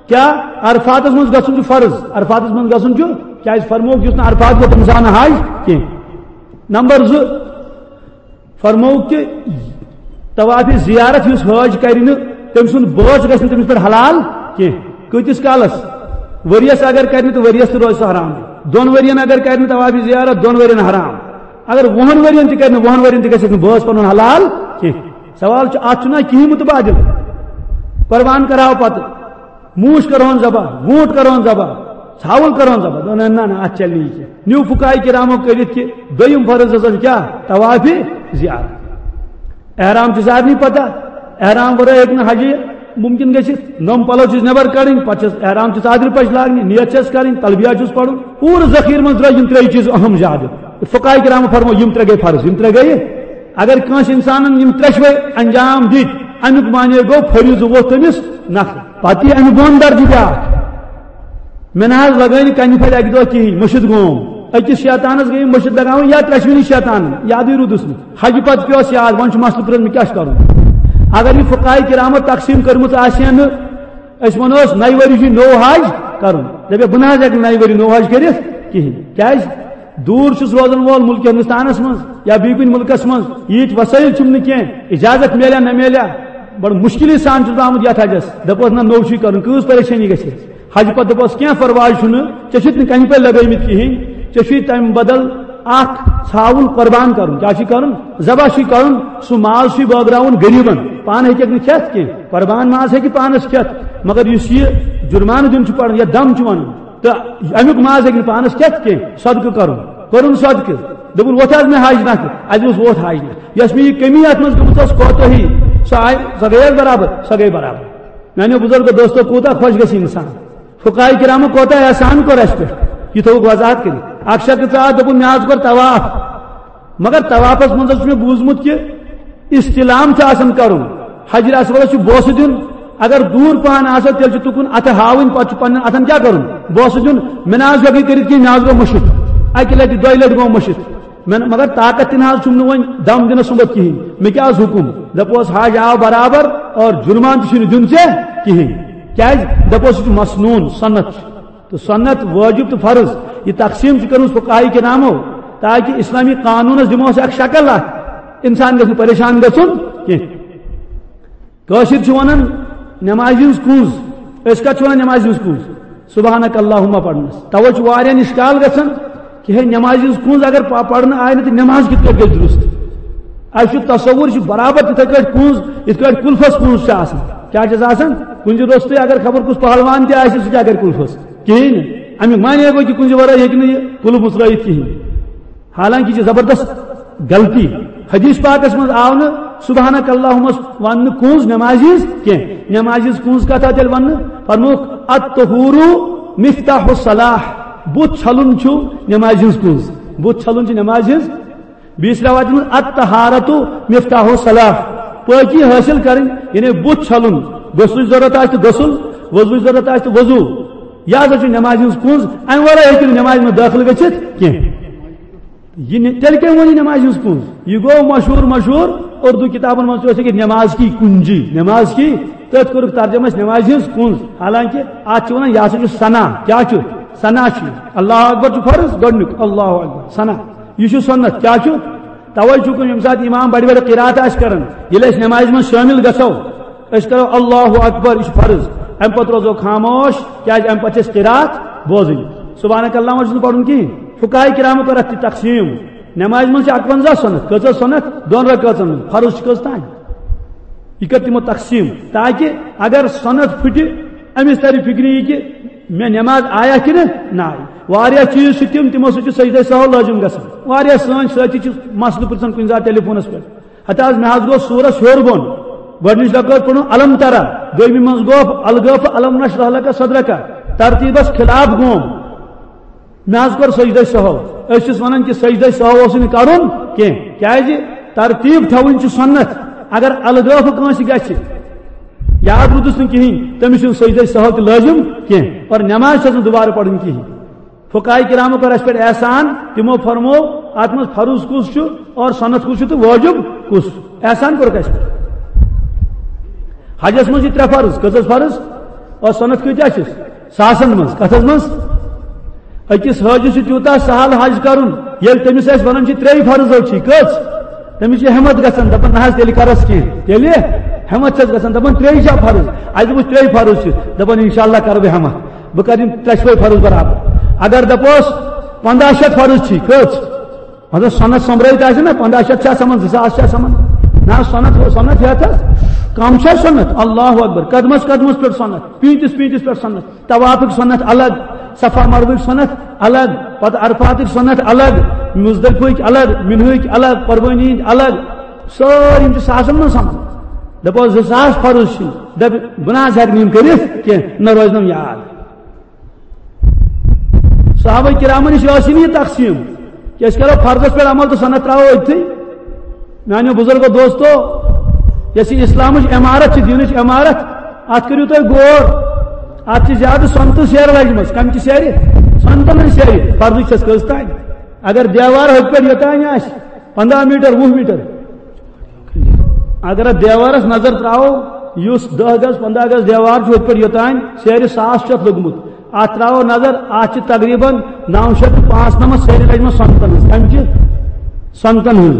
کیٛاہ؟ عرفاتس منٛز گژھُن چھُ فرض، عرفاتس منٛز گژھُن چھُ، کیٛازِ؟ فرمووُکھ، یُس نہٕ عرفات گوٚو، تٔمِس آو نہٕ حج کینٛہہ۔ نمبر زٕ، فرمووُکھ کہِ طواف زیارت یُس حٲج کرِ نہٕ، تٔمۍ سُنٛد بٲژ گژھِ نہٕ تٔمِس پٮ۪ٹھ حلال کینٛہہ۔ کۭتِس کالس؟ ؤریَس اگر کرِ نہٕ تہٕ ؤریَس تہِ روزِ سُہ حرام۔ دۄن ؤرین اگر کرِ نہٕ طواف زیارت، دۄن ؤرین حرام۔ اگر وُہن ؤرین تہِ کرِ نہٕ، وُہن ؤرین تہِ گژھٮ۪س نہٕ بٲژ پنُن حلال کینٛہہ۔ سوال چھُ، اتھ چھُنہ کِہیٖنۍ متبادل؟ قربان کرہاو پتہٕ، موٗش کرہون ذبح، ووٗنٛٹ کرہون ذبح، ژھاوُل کرہون ذبح۔ دوٚپُن، نہ، نہ، نہ، اتھ چلہِ نہٕ یہِ کینٛہہ۔ نیوٗ فقہاء کرامو کٔرِتھ کہِ دوٚیِم فرض ہسا چھُ کیٛاہ؟ طواف زیارت۔ احرام چھُ سارنٕے پتہ، احرام ورٲے ہیٚکہِ نہٕ حجی ممکن گٔژھِتھ۔ نٔم پلو چھِس نٮ۪بر کڑٕنۍ، پتہٕ چھِس احرام چہِ ژادرِ پچہِ لاگنہِ، نیت چھَس کرٕنۍ، تلبیہ چھُس پرُن، پوٗرٕ ذخیرٕ منٛز درٛاے یِم ترٛے چیٖز اہم زیادٕ۔ فقہاء کرامو فرمو، یِم ترٛےٚ گٔے فرض، یِم ترٛےٚ گٔے۔ اگر کٲنٛسہِ انسانن یِم ترٛٮ۪شوے انجام دِتۍ، امیُک معنی گوٚو فریضہٕ ووت تٔمِس نکھٕ۔ پتہٕ یی امیُک بۄن درجہٕ بیٛاکھ۔ مےٚ نہ حظ لگٲے نہٕ کنہِ پھلۍ اکہِ دۄہ کِہیٖنۍ، مٔشِتھ گوم۔ أکِس شیطانس گٔے مٔشِتھ لگاوٕنۍ یا ترٛٮ۪شوٕنی شیطانن، یادٕے روٗدُس نہٕ۔ حجہِ پتہٕ پیوس یاد، وۄنۍ چھُ مسلہٕ پرٛژھُن، مےٚ کیٛاہ چھُ کرُن؟ اگر یہِ فقہاء کرامو تقسیٖم کٔرمٕژ آسہِ ہا نہٕ، أسۍ وَنوس، نَیہِ ؤری چھُ نوٚو حج کَرُن۔ دَپہِ، بہٕ نہ حظ ہٮ۪کہٕ نَیہِ ؤری نوٚو حج کٔرِتھ کِہیٖنۍ۔ کیٛازِ؟ دوٗر چھُس روزَن وول مُلکہِ ہِندُستانَس منٛز یا بیٚیہِ کُنہِ مُلکَس منٛز، ییٖتۍ وسٲیِل چھِم نہٕ کینٛہہ، اِجازت میلیا نہ میلیا، بَڑٕ مُشکِلی سان چھُس بہٕ آمُت یَتھ حجَس۔ دَپوس، نہ، نوٚو چھُے کَرُن، کۭژ پریشٲنی گژھِ؟ حجہِ پَتہٕ دَپوس، کینٛہہ پَرواے چھُنہٕ، ژےٚ چھُتھ نہٕ کَنہِ پٮ۪ٹھ لَگٲومٕتۍ کِہیٖنۍ، ژےٚ چھُے تَمہِ بدل اَکھ ژھاوُل قۄربان کَرُن۔ کیٛاہ چھُے کَرُن؟ ذبح چھُے کَرُن، سُہ ماز چھُے بٲگراوُن غریٖبَن، پانہٕ ہیٚکَکھ نہٕ کھٮ۪تھ کینٛہہ۔ قربان ماز ہیٚکہِ پانس کھٮ۪تھ، مگر یُس یہِ جُرمانہٕ دیُن چھُ پڑان یا دم چھُ وَنُن، تہٕ اَمیُک ماز ہیٚکہِ نہٕ پانس کھٮ۪تھ کینٛہہ، صدقہٕ کرُن، کوٚرُن صدقہٕ، دوٚپُن، "وۄتھ حظ مےٚ حج نکھٕ"، اَسہِ دوٚپُس، "وۄتھ حج نکھٕ"۔ یۄس مےٚ یہِ کٔمی اَتھ منٛز گٔمٕژ ٲس، کوتٲہی، سۄ آیہِ، سۄ گٔیَس برابر، سۄ گٔے برابر۔ میانیو بزرگو دوستو، کوٗتاہ خۄش گژھِ انسان۔ فقہاء کرامو کوٗتاہ احسان کوٚر اَسہِ پٮ۪ٹھ، یہِ تھوٚوُکھ وضاحت کٔرِتھ۔ اکھ شخص ژاو، دوٚپُن، مےٚ حظ کوٚر طواف، مگر طوافس منٛز حظ چھُ مےٚ بوٗزمُت کہِ استلام چھُ آسان کرُن، حجر اسودس چھُ بوسہٕ دیُن، اگر دوٗر پہن آسو تیٚلہِ چھُ تُکُن اتھٕ ہاوٕنۍ، پتہٕ چھُ پننٮ۪ن اتھن کیٛاہ کرُن؟ بوسہٕ دیُن۔ مےٚ نہ حظ ہیوٚکُے کٔرِتھ کینٛہہ، مےٚ حظ گوٚو مٔشِتھ، اکہِ لٹہِ دۄیہِ لٹہِ گوٚو مٔشِتھ۔ مےٚ، مگر طاقت تہِ نہ حظ چھُم نہٕ وۄنۍ دم دِنس سُمبتھ کِہیٖنۍ۔ مےٚ کیٛاہ حظ حُکُم؟ دَپوس، حج آو برابر اور جُرمان تہِ چھُنہٕ دیُن ژےٚ کِہیٖنۍ۔ کیٛازِ؟ دَپوس، یہِ چھُ مسنوٗن، سنت چھُ۔ تہٕ سنت، وٲجِب تہٕ فرض، یہِ تقسیٖم چھِ کٔرمٕژ فقہاء کرامو، تاکہِ اسلامی قانوٗنس دِمو أسۍ اکھ شکل اکھ، انسان گژھِ نہٕ پریشان گژھُن کینٛہہ۔ کٲشِر چھِ وَنان نٮ۪مازِ ہٕنٛز کُنٛز۔ أسۍ کَتھ چھِ وَنان نٮ۪مازِ ہٕنٛز کُنٛز؟ سبحانک اللہم پَرنَس۔ تَوَے چھُ واریاہَن اِشکال گژھان کہِ ہے، نٮ۪مازِ ہٕنٛز کُنٛز اگر پ-، پَرنہٕ آیہِ نہٕ، تہٕ نٮ۪ماز کِتھ پٲٹھۍ گژھِ درُست؟ اَسہِ چھُ تصوُر، یہِ چھُ برابر تِتھَے کٲٹھۍ کُنٛز، یِتھ کٲٹھۍ کُلفَس کُنٛز چھِ آسان۔ کیٛاہ چھَس آسان؟ کُنٛزِ روٚستُے اگر خبر کُس پہلوان تہِ آسہِ، سُہ کیٛاہ کَرِ کُلفَس؟ کِہیٖنۍ نہٕ۔ اَمیُک معنی گوٚو کہِ کُنٛزِ وَرٲے ہیٚکہِ نہٕ یہِ کُلُف مُژرٲیِتھ کِہیٖنۍ۔ حالانکہ یہ زبردست غلطی۔ حدیث پاکس منٛز آو نہٕ سبحانک اللہمس وننہٕ کُنٛز نمازِ ہٕنٛز کینٛہہ۔ نمازِ ہٕنٛز کُنٛز کتھ آو تیٚلہِ وننہٕ؟ فرمووُکھ، "الطہور مفتاح الصلاح"، بُتھ چھلُن چھُ نمازِ ہٕنٛز کُنٛز۔ بُتھ چھلُن چھُ نمازِ ہٕنٛز۔ بیٚیِس رٮ۪وایتہِ منٛز، "الطہارت مفتاح الصلاح"، پٲکی حٲصِل کرٕنۍ، یعنی بُتھ چھلُن، غسلٕچ ضرورت آسہِ تہٕ غسل، وضوٕچ ضرورت آسہِ تہٕ وضو۔ یہِ ہسا چھُ نمازِ ہٕنٛز کُنٛز، امہِ ورٲے ہیٚکہِ نہٕ نمازِ منٛز دٲخل گٔژھِتھ کینٛہہ۔ یہِ نہِ-، تیٚلہِ کٔمۍ ووٚن یہِ نمازِ ہٕنٛز کُنٛز؟ یہِ گوٚو مشہوٗر، مشہوٗر اُردو کِتابَن منٛز تہِ اوس لیٚکھِتھ، "نماز کی کنجی"، نماز کی، تٔتھۍ کوٚرُکھ ترجمہٕ اَسہِ نمازِ ہٕنٛز کُنٛز۔ حالانکہ اَتھ چھِ وَنان، یہِ ہسا چھُ ثنا۔ کیٛاہ چھُ؟ ثنا چھُ یہِ۔ اللہ اکبر چھُ فرض، گۄڈٕنیُک اللہ اکبر، ثنا۔ یہِ چھُ سُنت۔ کیٛاہ چھُ؟ تَوَے چھُ کُنہِ، ییٚمہِ ساتہٕ اِمام بَڑِ بَڑِ قرات آسہِ کران، ییٚلہِ أسۍ نمازِ منٛز شٲمِل گژھو، أسۍ کرو اللہ اکبر، یہِ چھُ فرض۔ اَمہِ پتہٕ روزو خاموش، کیٛازِ اَمہِ پتہٕ چھِ اَسہِ قرات بوزٕنۍ۔ سبحانک اللہم چھُنہٕ پَرُن کِہیٖنۍ۔ فقہاء کرامو کٔر اَتھ تہِ تقسیٖم۔ نمازِ منٛز چھِ اَکوَنزاہ سُنت۔ کۭژاہ سُنت؟ دۄن رکٲژن ہٕنٛز۔ فرض چھِ کٔژ تام؟ یہِ کٔر تِمو تقسیٖم، تاکہِ اگر سُنت پھٕٹہِ، أمِس تَرِ فِکرِ یہِ کہِ مےٚ نماز آیا کِنہٕ نہ آیہِ۔ واریاہ چیٖز چھِ تِم، تِمو سۭتۍ چھُ سجدے سہو لٲزِم گژھان۔ واریاہ سٲنۍ سٲتھی چھِ مسلہٕ پرژھان کُنہِ ساتہٕ ٹیلی فونس پٮ۪ٹھ۔ ہتہٕ حظ، مےٚ حظ گوٚو سورس ہیوٚر بۄن۔ گۄڈٕنِچ رکٲژ پٔرٕن الم ترا، دوٚیمہِ منٛز گوٚو الگٲفہٕ الم نشرح لک صدرک، ترتیٖبس خلاف گوم۔ مےٚ حظ کوٚر سجدے سہو۔ أسۍ چھِس ونان کہِ سجدے سہو اوس نہٕ کرُن کینٛہہ۔ کیٛازِ؟ ترتیٖب تھاوٕنۍ چھِ سُنت۔ اگر الگٲفہٕ کٲنٛسہِ گژھِ، یاد روٗدُس نہٕ کِہیٖنۍ، تٔمِس چھُنہٕ سجدے سہو تہِ لٲزِم کینٛہہ، اور نماز چھَس نہٕ دُبارٕ پرٕنۍ کِہیٖنۍ۔ فقہاء کرامو کٔر اَسہِ پٮ۪ٹھ احسان، تِمو فرموو، اَتھ منٛز فرض کُس چھُ اور سُنت کُس چھُ تہٕ وٲجِب کُس؟ احسان کوٚرُکھ اَسہِ پٮ۪ٹھ۔ حجس منٛز چھِ ترٛےٚ فرض۔ کٔژ حظ فرض؟ اور سُنت کۭتیٛاہ چھِس؟ ساسن منٛز۔ کَتھ حظ منٛز؟ أکِس حٲجِس چھُ تیوٗتاہ سہل حج کَرُن، ییٚلہِ تٔمِس أسۍ وَنان چھِ، "ترٛیٚیہِ فرضو چھی کٔژ؟" تٔمِس چھِ ہٮ۪مت گژھان، دَپان، "نہ حظ، تیٚلہِ کَرس کینٛہہ۔" تیٚلہِ ہٮ۪مت چھَس گژھان، دَپان، "ترٛیٚیہِ چھا فرض؟" اَسہِ دوٚپُس، "ترٛیٚیہِ فرض چھِ۔" دَپان، "اِنشاء اللہ کَرٕ بہٕ ہٮ۪مت، بہٕ کَرٕ یِم ترٛٮ۪شوَے فرض برابر۔" اگر دَپوس، "پنٛداہ شیٚتھ فرض چھی کٔژ؟" مطلب، سۄنت سۄمبرٲوِتھ آسہِ نا، پنٛداہ شیٚتھ چھا سَمان، زٕ ساس چھا سَمان؟ نہ، سۄنت، سۄنت ہٮ۪تھ حظ۔ کم چھا سۄنت؟ اللہ اکبر۔ قدمس قدمس پٮ۪ٹھ سۄنت، پیٖنتِس پیٖنتِس پٮ۪ٹھ سۄنت۔ طوافٕکۍ سۄنت الگ، صفا مروٕکۍ سۄنت الگ، پتہٕ عرفاتٕکۍ سۄنت الگ، مزدلفہٕکۍ الگ، منہٕکۍ الگ، قربٲنی ہٕنٛدۍ الگ۔ سٲری یِم چھِ ساسن منٛز سَمان۔ دَپو، زٕ ساس فرض چھِ۔ دَپہِ، بہٕ نہ حظ ہٮ۪کہٕ نہٕ یِم کٔرِتھ کینٛہہ، نہ روزنم یاد۔ صحابہ کرامن نِش ٲسٕے نہٕ یہِ تقسیٖم کہِ أسۍ کرو فرضس پٮ۪ٹھ عمل تہٕ سۄنت ترٛاوو أتھی۔ میانیو بزرگو دوستو، یۄس یہِ اسلامٕچ عمارت چھِ، دیٖنٕچ عمارت، اتھ کٔرِو تُہۍ غور۔ اتھ چھِ زیادٕ سۄنتہٕ سیرٕ لجمژٕ۔ کمہِ چہِ سیرِ؟ سۄنتن ہٕنٛز سیرِ۔ فرضٕچ چھس کٔژ تانۍ؟ اگر دیوار ہوٚتہِ پٮ۪ٹھ یوٚتانۍ آسہِ، پنٛداہ میٖٹر، وُہ میٖٹر، اگر اتھ دیوارس نظر ترٛاوو، یُس دَہ گز، پنٛداہ گز دیوار چھُ، ہوٚتہِ پٮ۪ٹھ یوٚتانۍ سیرِ ساس چھُ اتھ لوٚگمُت۔ اتھ ترٛاوو نظر، اتھ چھِ تقریباً نو شیٚتھ تہٕ پانٛژھ نمتھ سیرِ لجمژٕ سۄنتن ہٕنٛز۔ کمہِ چہِ؟ سۄنتن ہٕنٛز۔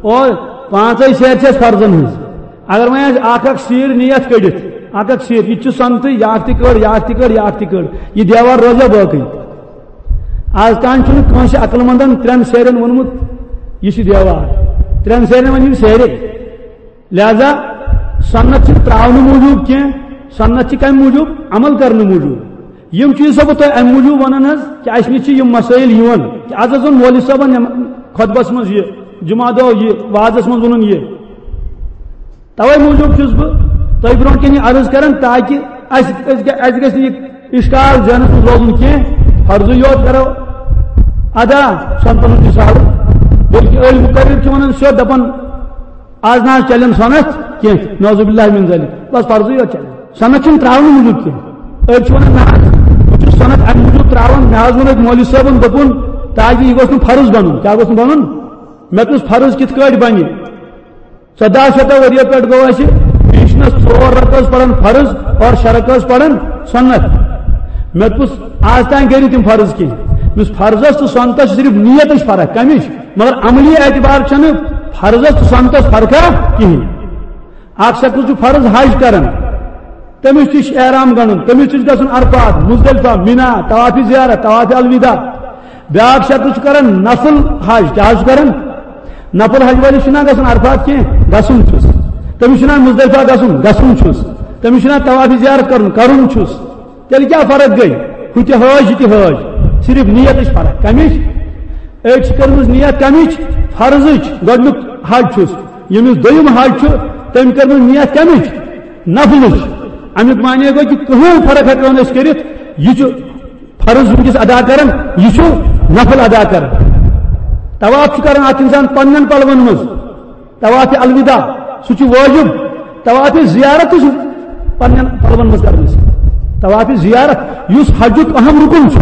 اور پانٛژے سیرِ چھِ اَسہِ فرضن ہٕنٛز۔ اگر وۄنۍ اَسہِ اکھ اکھ سیٖر نیت کٔڑِتھ، اکھ اکھ سیٖر، یہِ تہِ چھُ سۄنتٕے، یہِ اکھ تہِ کٔڑ، یہِ اکھ تہِ کٔڑ، یہِ اکھ تہِ کٔڑ، یہِ دیوار روزیٛا باقٕے؟ از تام چھُنہٕ کٲنٛسہِ عقل مندن ترٛٮ۪ن سیرٮ۪ن ووٚنمُت، یہِ چھُ دیوار۔ ترٛٮ۪ن سیرٮ۪ن وَنہِ یِم سیرِ۔ لہذا سنت چھِ ترٛاونہٕ موٗجوٗب کینٛہہ، سنت چھِ کَمہِ موٗجوٗب؟ عمل کرنہٕ موٗجوٗب۔ یِم چیٖز چھُسو بہٕ تۄہہِ اَمہِ موٗجوٗب وَنان حظ کہِ اَسہِ نِش چھِ یِم مسٲیِل یِوان کہِ از حظ ووٚن مولوی صٲبن یِم خطبس منٛز یہِ، جمعہ دۄہ یہِ، وعظس منٛز ووٚنُن یہِ۔ توے موٗجوٗب چھُس بہٕ تۄہہِ برونٛٹھ کَنہِ عرض کران، تاکہِ اَسہِ، اَسہِ گژھِ نہٕ یہِ اِشکال ذہنَس منٛز روزُن کینٛہہ۔ فرضٕے یوت کرو ادا، سۄنتَن ہُنٛد مثال، بلکہِ أڑۍ مُقرر چھِ وَنان سیوٚد، دَپان، "آز نہ حظ چلن سۄنت کینٛہہ، نعوذ باللہ من ذالک، بس فرضٕے یوت چلن، سۄنت چھُنہٕ ترٛاونہٕ موٗجوٗب کینٛہہ۔" أڑۍ چھِ وَنان، "نہ حظ، بہٕ چھُس سۄنت اَمہِ موٗجوٗب ترٛاوان، مےٚ حظ ووٚن أکۍ مولوی صٲبَن، دوٚپُن، تاکہِ یہِ گوٚژھ نہٕ فرض بَنُن۔" کیٛاہ گوٚژھ نہٕ بَنُن؟ مےٚ دوٚپُس، فرض کِتھ کٲٹھۍ بَنہِ؟ ژۄداہ شیٚتو ؤرِیو پٮ۪ٹھ گوٚو اَسہِ، بیٚیہِ چھِنہٕ ژور رکعت پَران فرض اور شےٚ رکعت پَران سُنت۔ مےٚ دوٚپُس، آز تام کٔرِو تِم فرض کینٛہہ۔ مےٚ دوٚپُس، فرضس تہٕ سُنتس چھِ صرف نیتٕچ فرق، کَمِچ؟ مگر عملی اعتبار چھَنہٕ فرضس تہٕ سُنتس فرقا کِہیٖنۍ۔ اکھ شخص چھُ فرض حج کران، تٔمِس تہِ چھُ احرام گنڈُن، تٔمِس تہِ چھُ گژھُن عرفات، مزدلفہ، مینا، طواف زیارت، طواف الوداع۔ بیاکھ شخص چھُ کران نفل حج، کیٛاہ حظ چھُ کران؟ نفل حج وٲلِس چھُنہ گژھُن عرفات کینٛہہ، گژھُن چھُس۔ تٔمِس چھُنہ مزدلفہ گژھُن، گژھُن چھُس۔ تٔمِس چھُنہ طواف زیارت کرُن، کرُن چھُس۔ تیٚلہِ کیٛاہ فرق گٔے؟ ہُہ تہِ حٲج، یہِ تہِ حٲج، صرف نیتٕچ فرق۔ کَمِچ؟ أکۍ چھِ کٔرمٕژ نیت کَمِچ؟ فرضٕچ، گۄڈٕنیُک حج چھُس۔ ییٚمِس دوٚیِم حج چھُ، تٔمۍ کٔرمٕژ نیت کَمِچ؟ نفلٕچ۔ اَمیُک معنی گوٚو کہِ کٕہٕنۍ فرق ہٮ۪کو نہٕ أسۍ کٔرِتھ، یہِ چھُ فرض وٕنکیٚس ادا کران، یہِ چھُ نفل ادا کران۔ طواف چھُ کران اکھ انسان پننٮ۪ن پلون منٛز، طواف الوداع، سُہ چھُ وٲجِب۔ طواف زیارت تہِ چھُ پننٮ۪ن پلون منٛز کران أسۍ۔ طواف زیارت، یُس حجُک اہم رُکُن چھُ،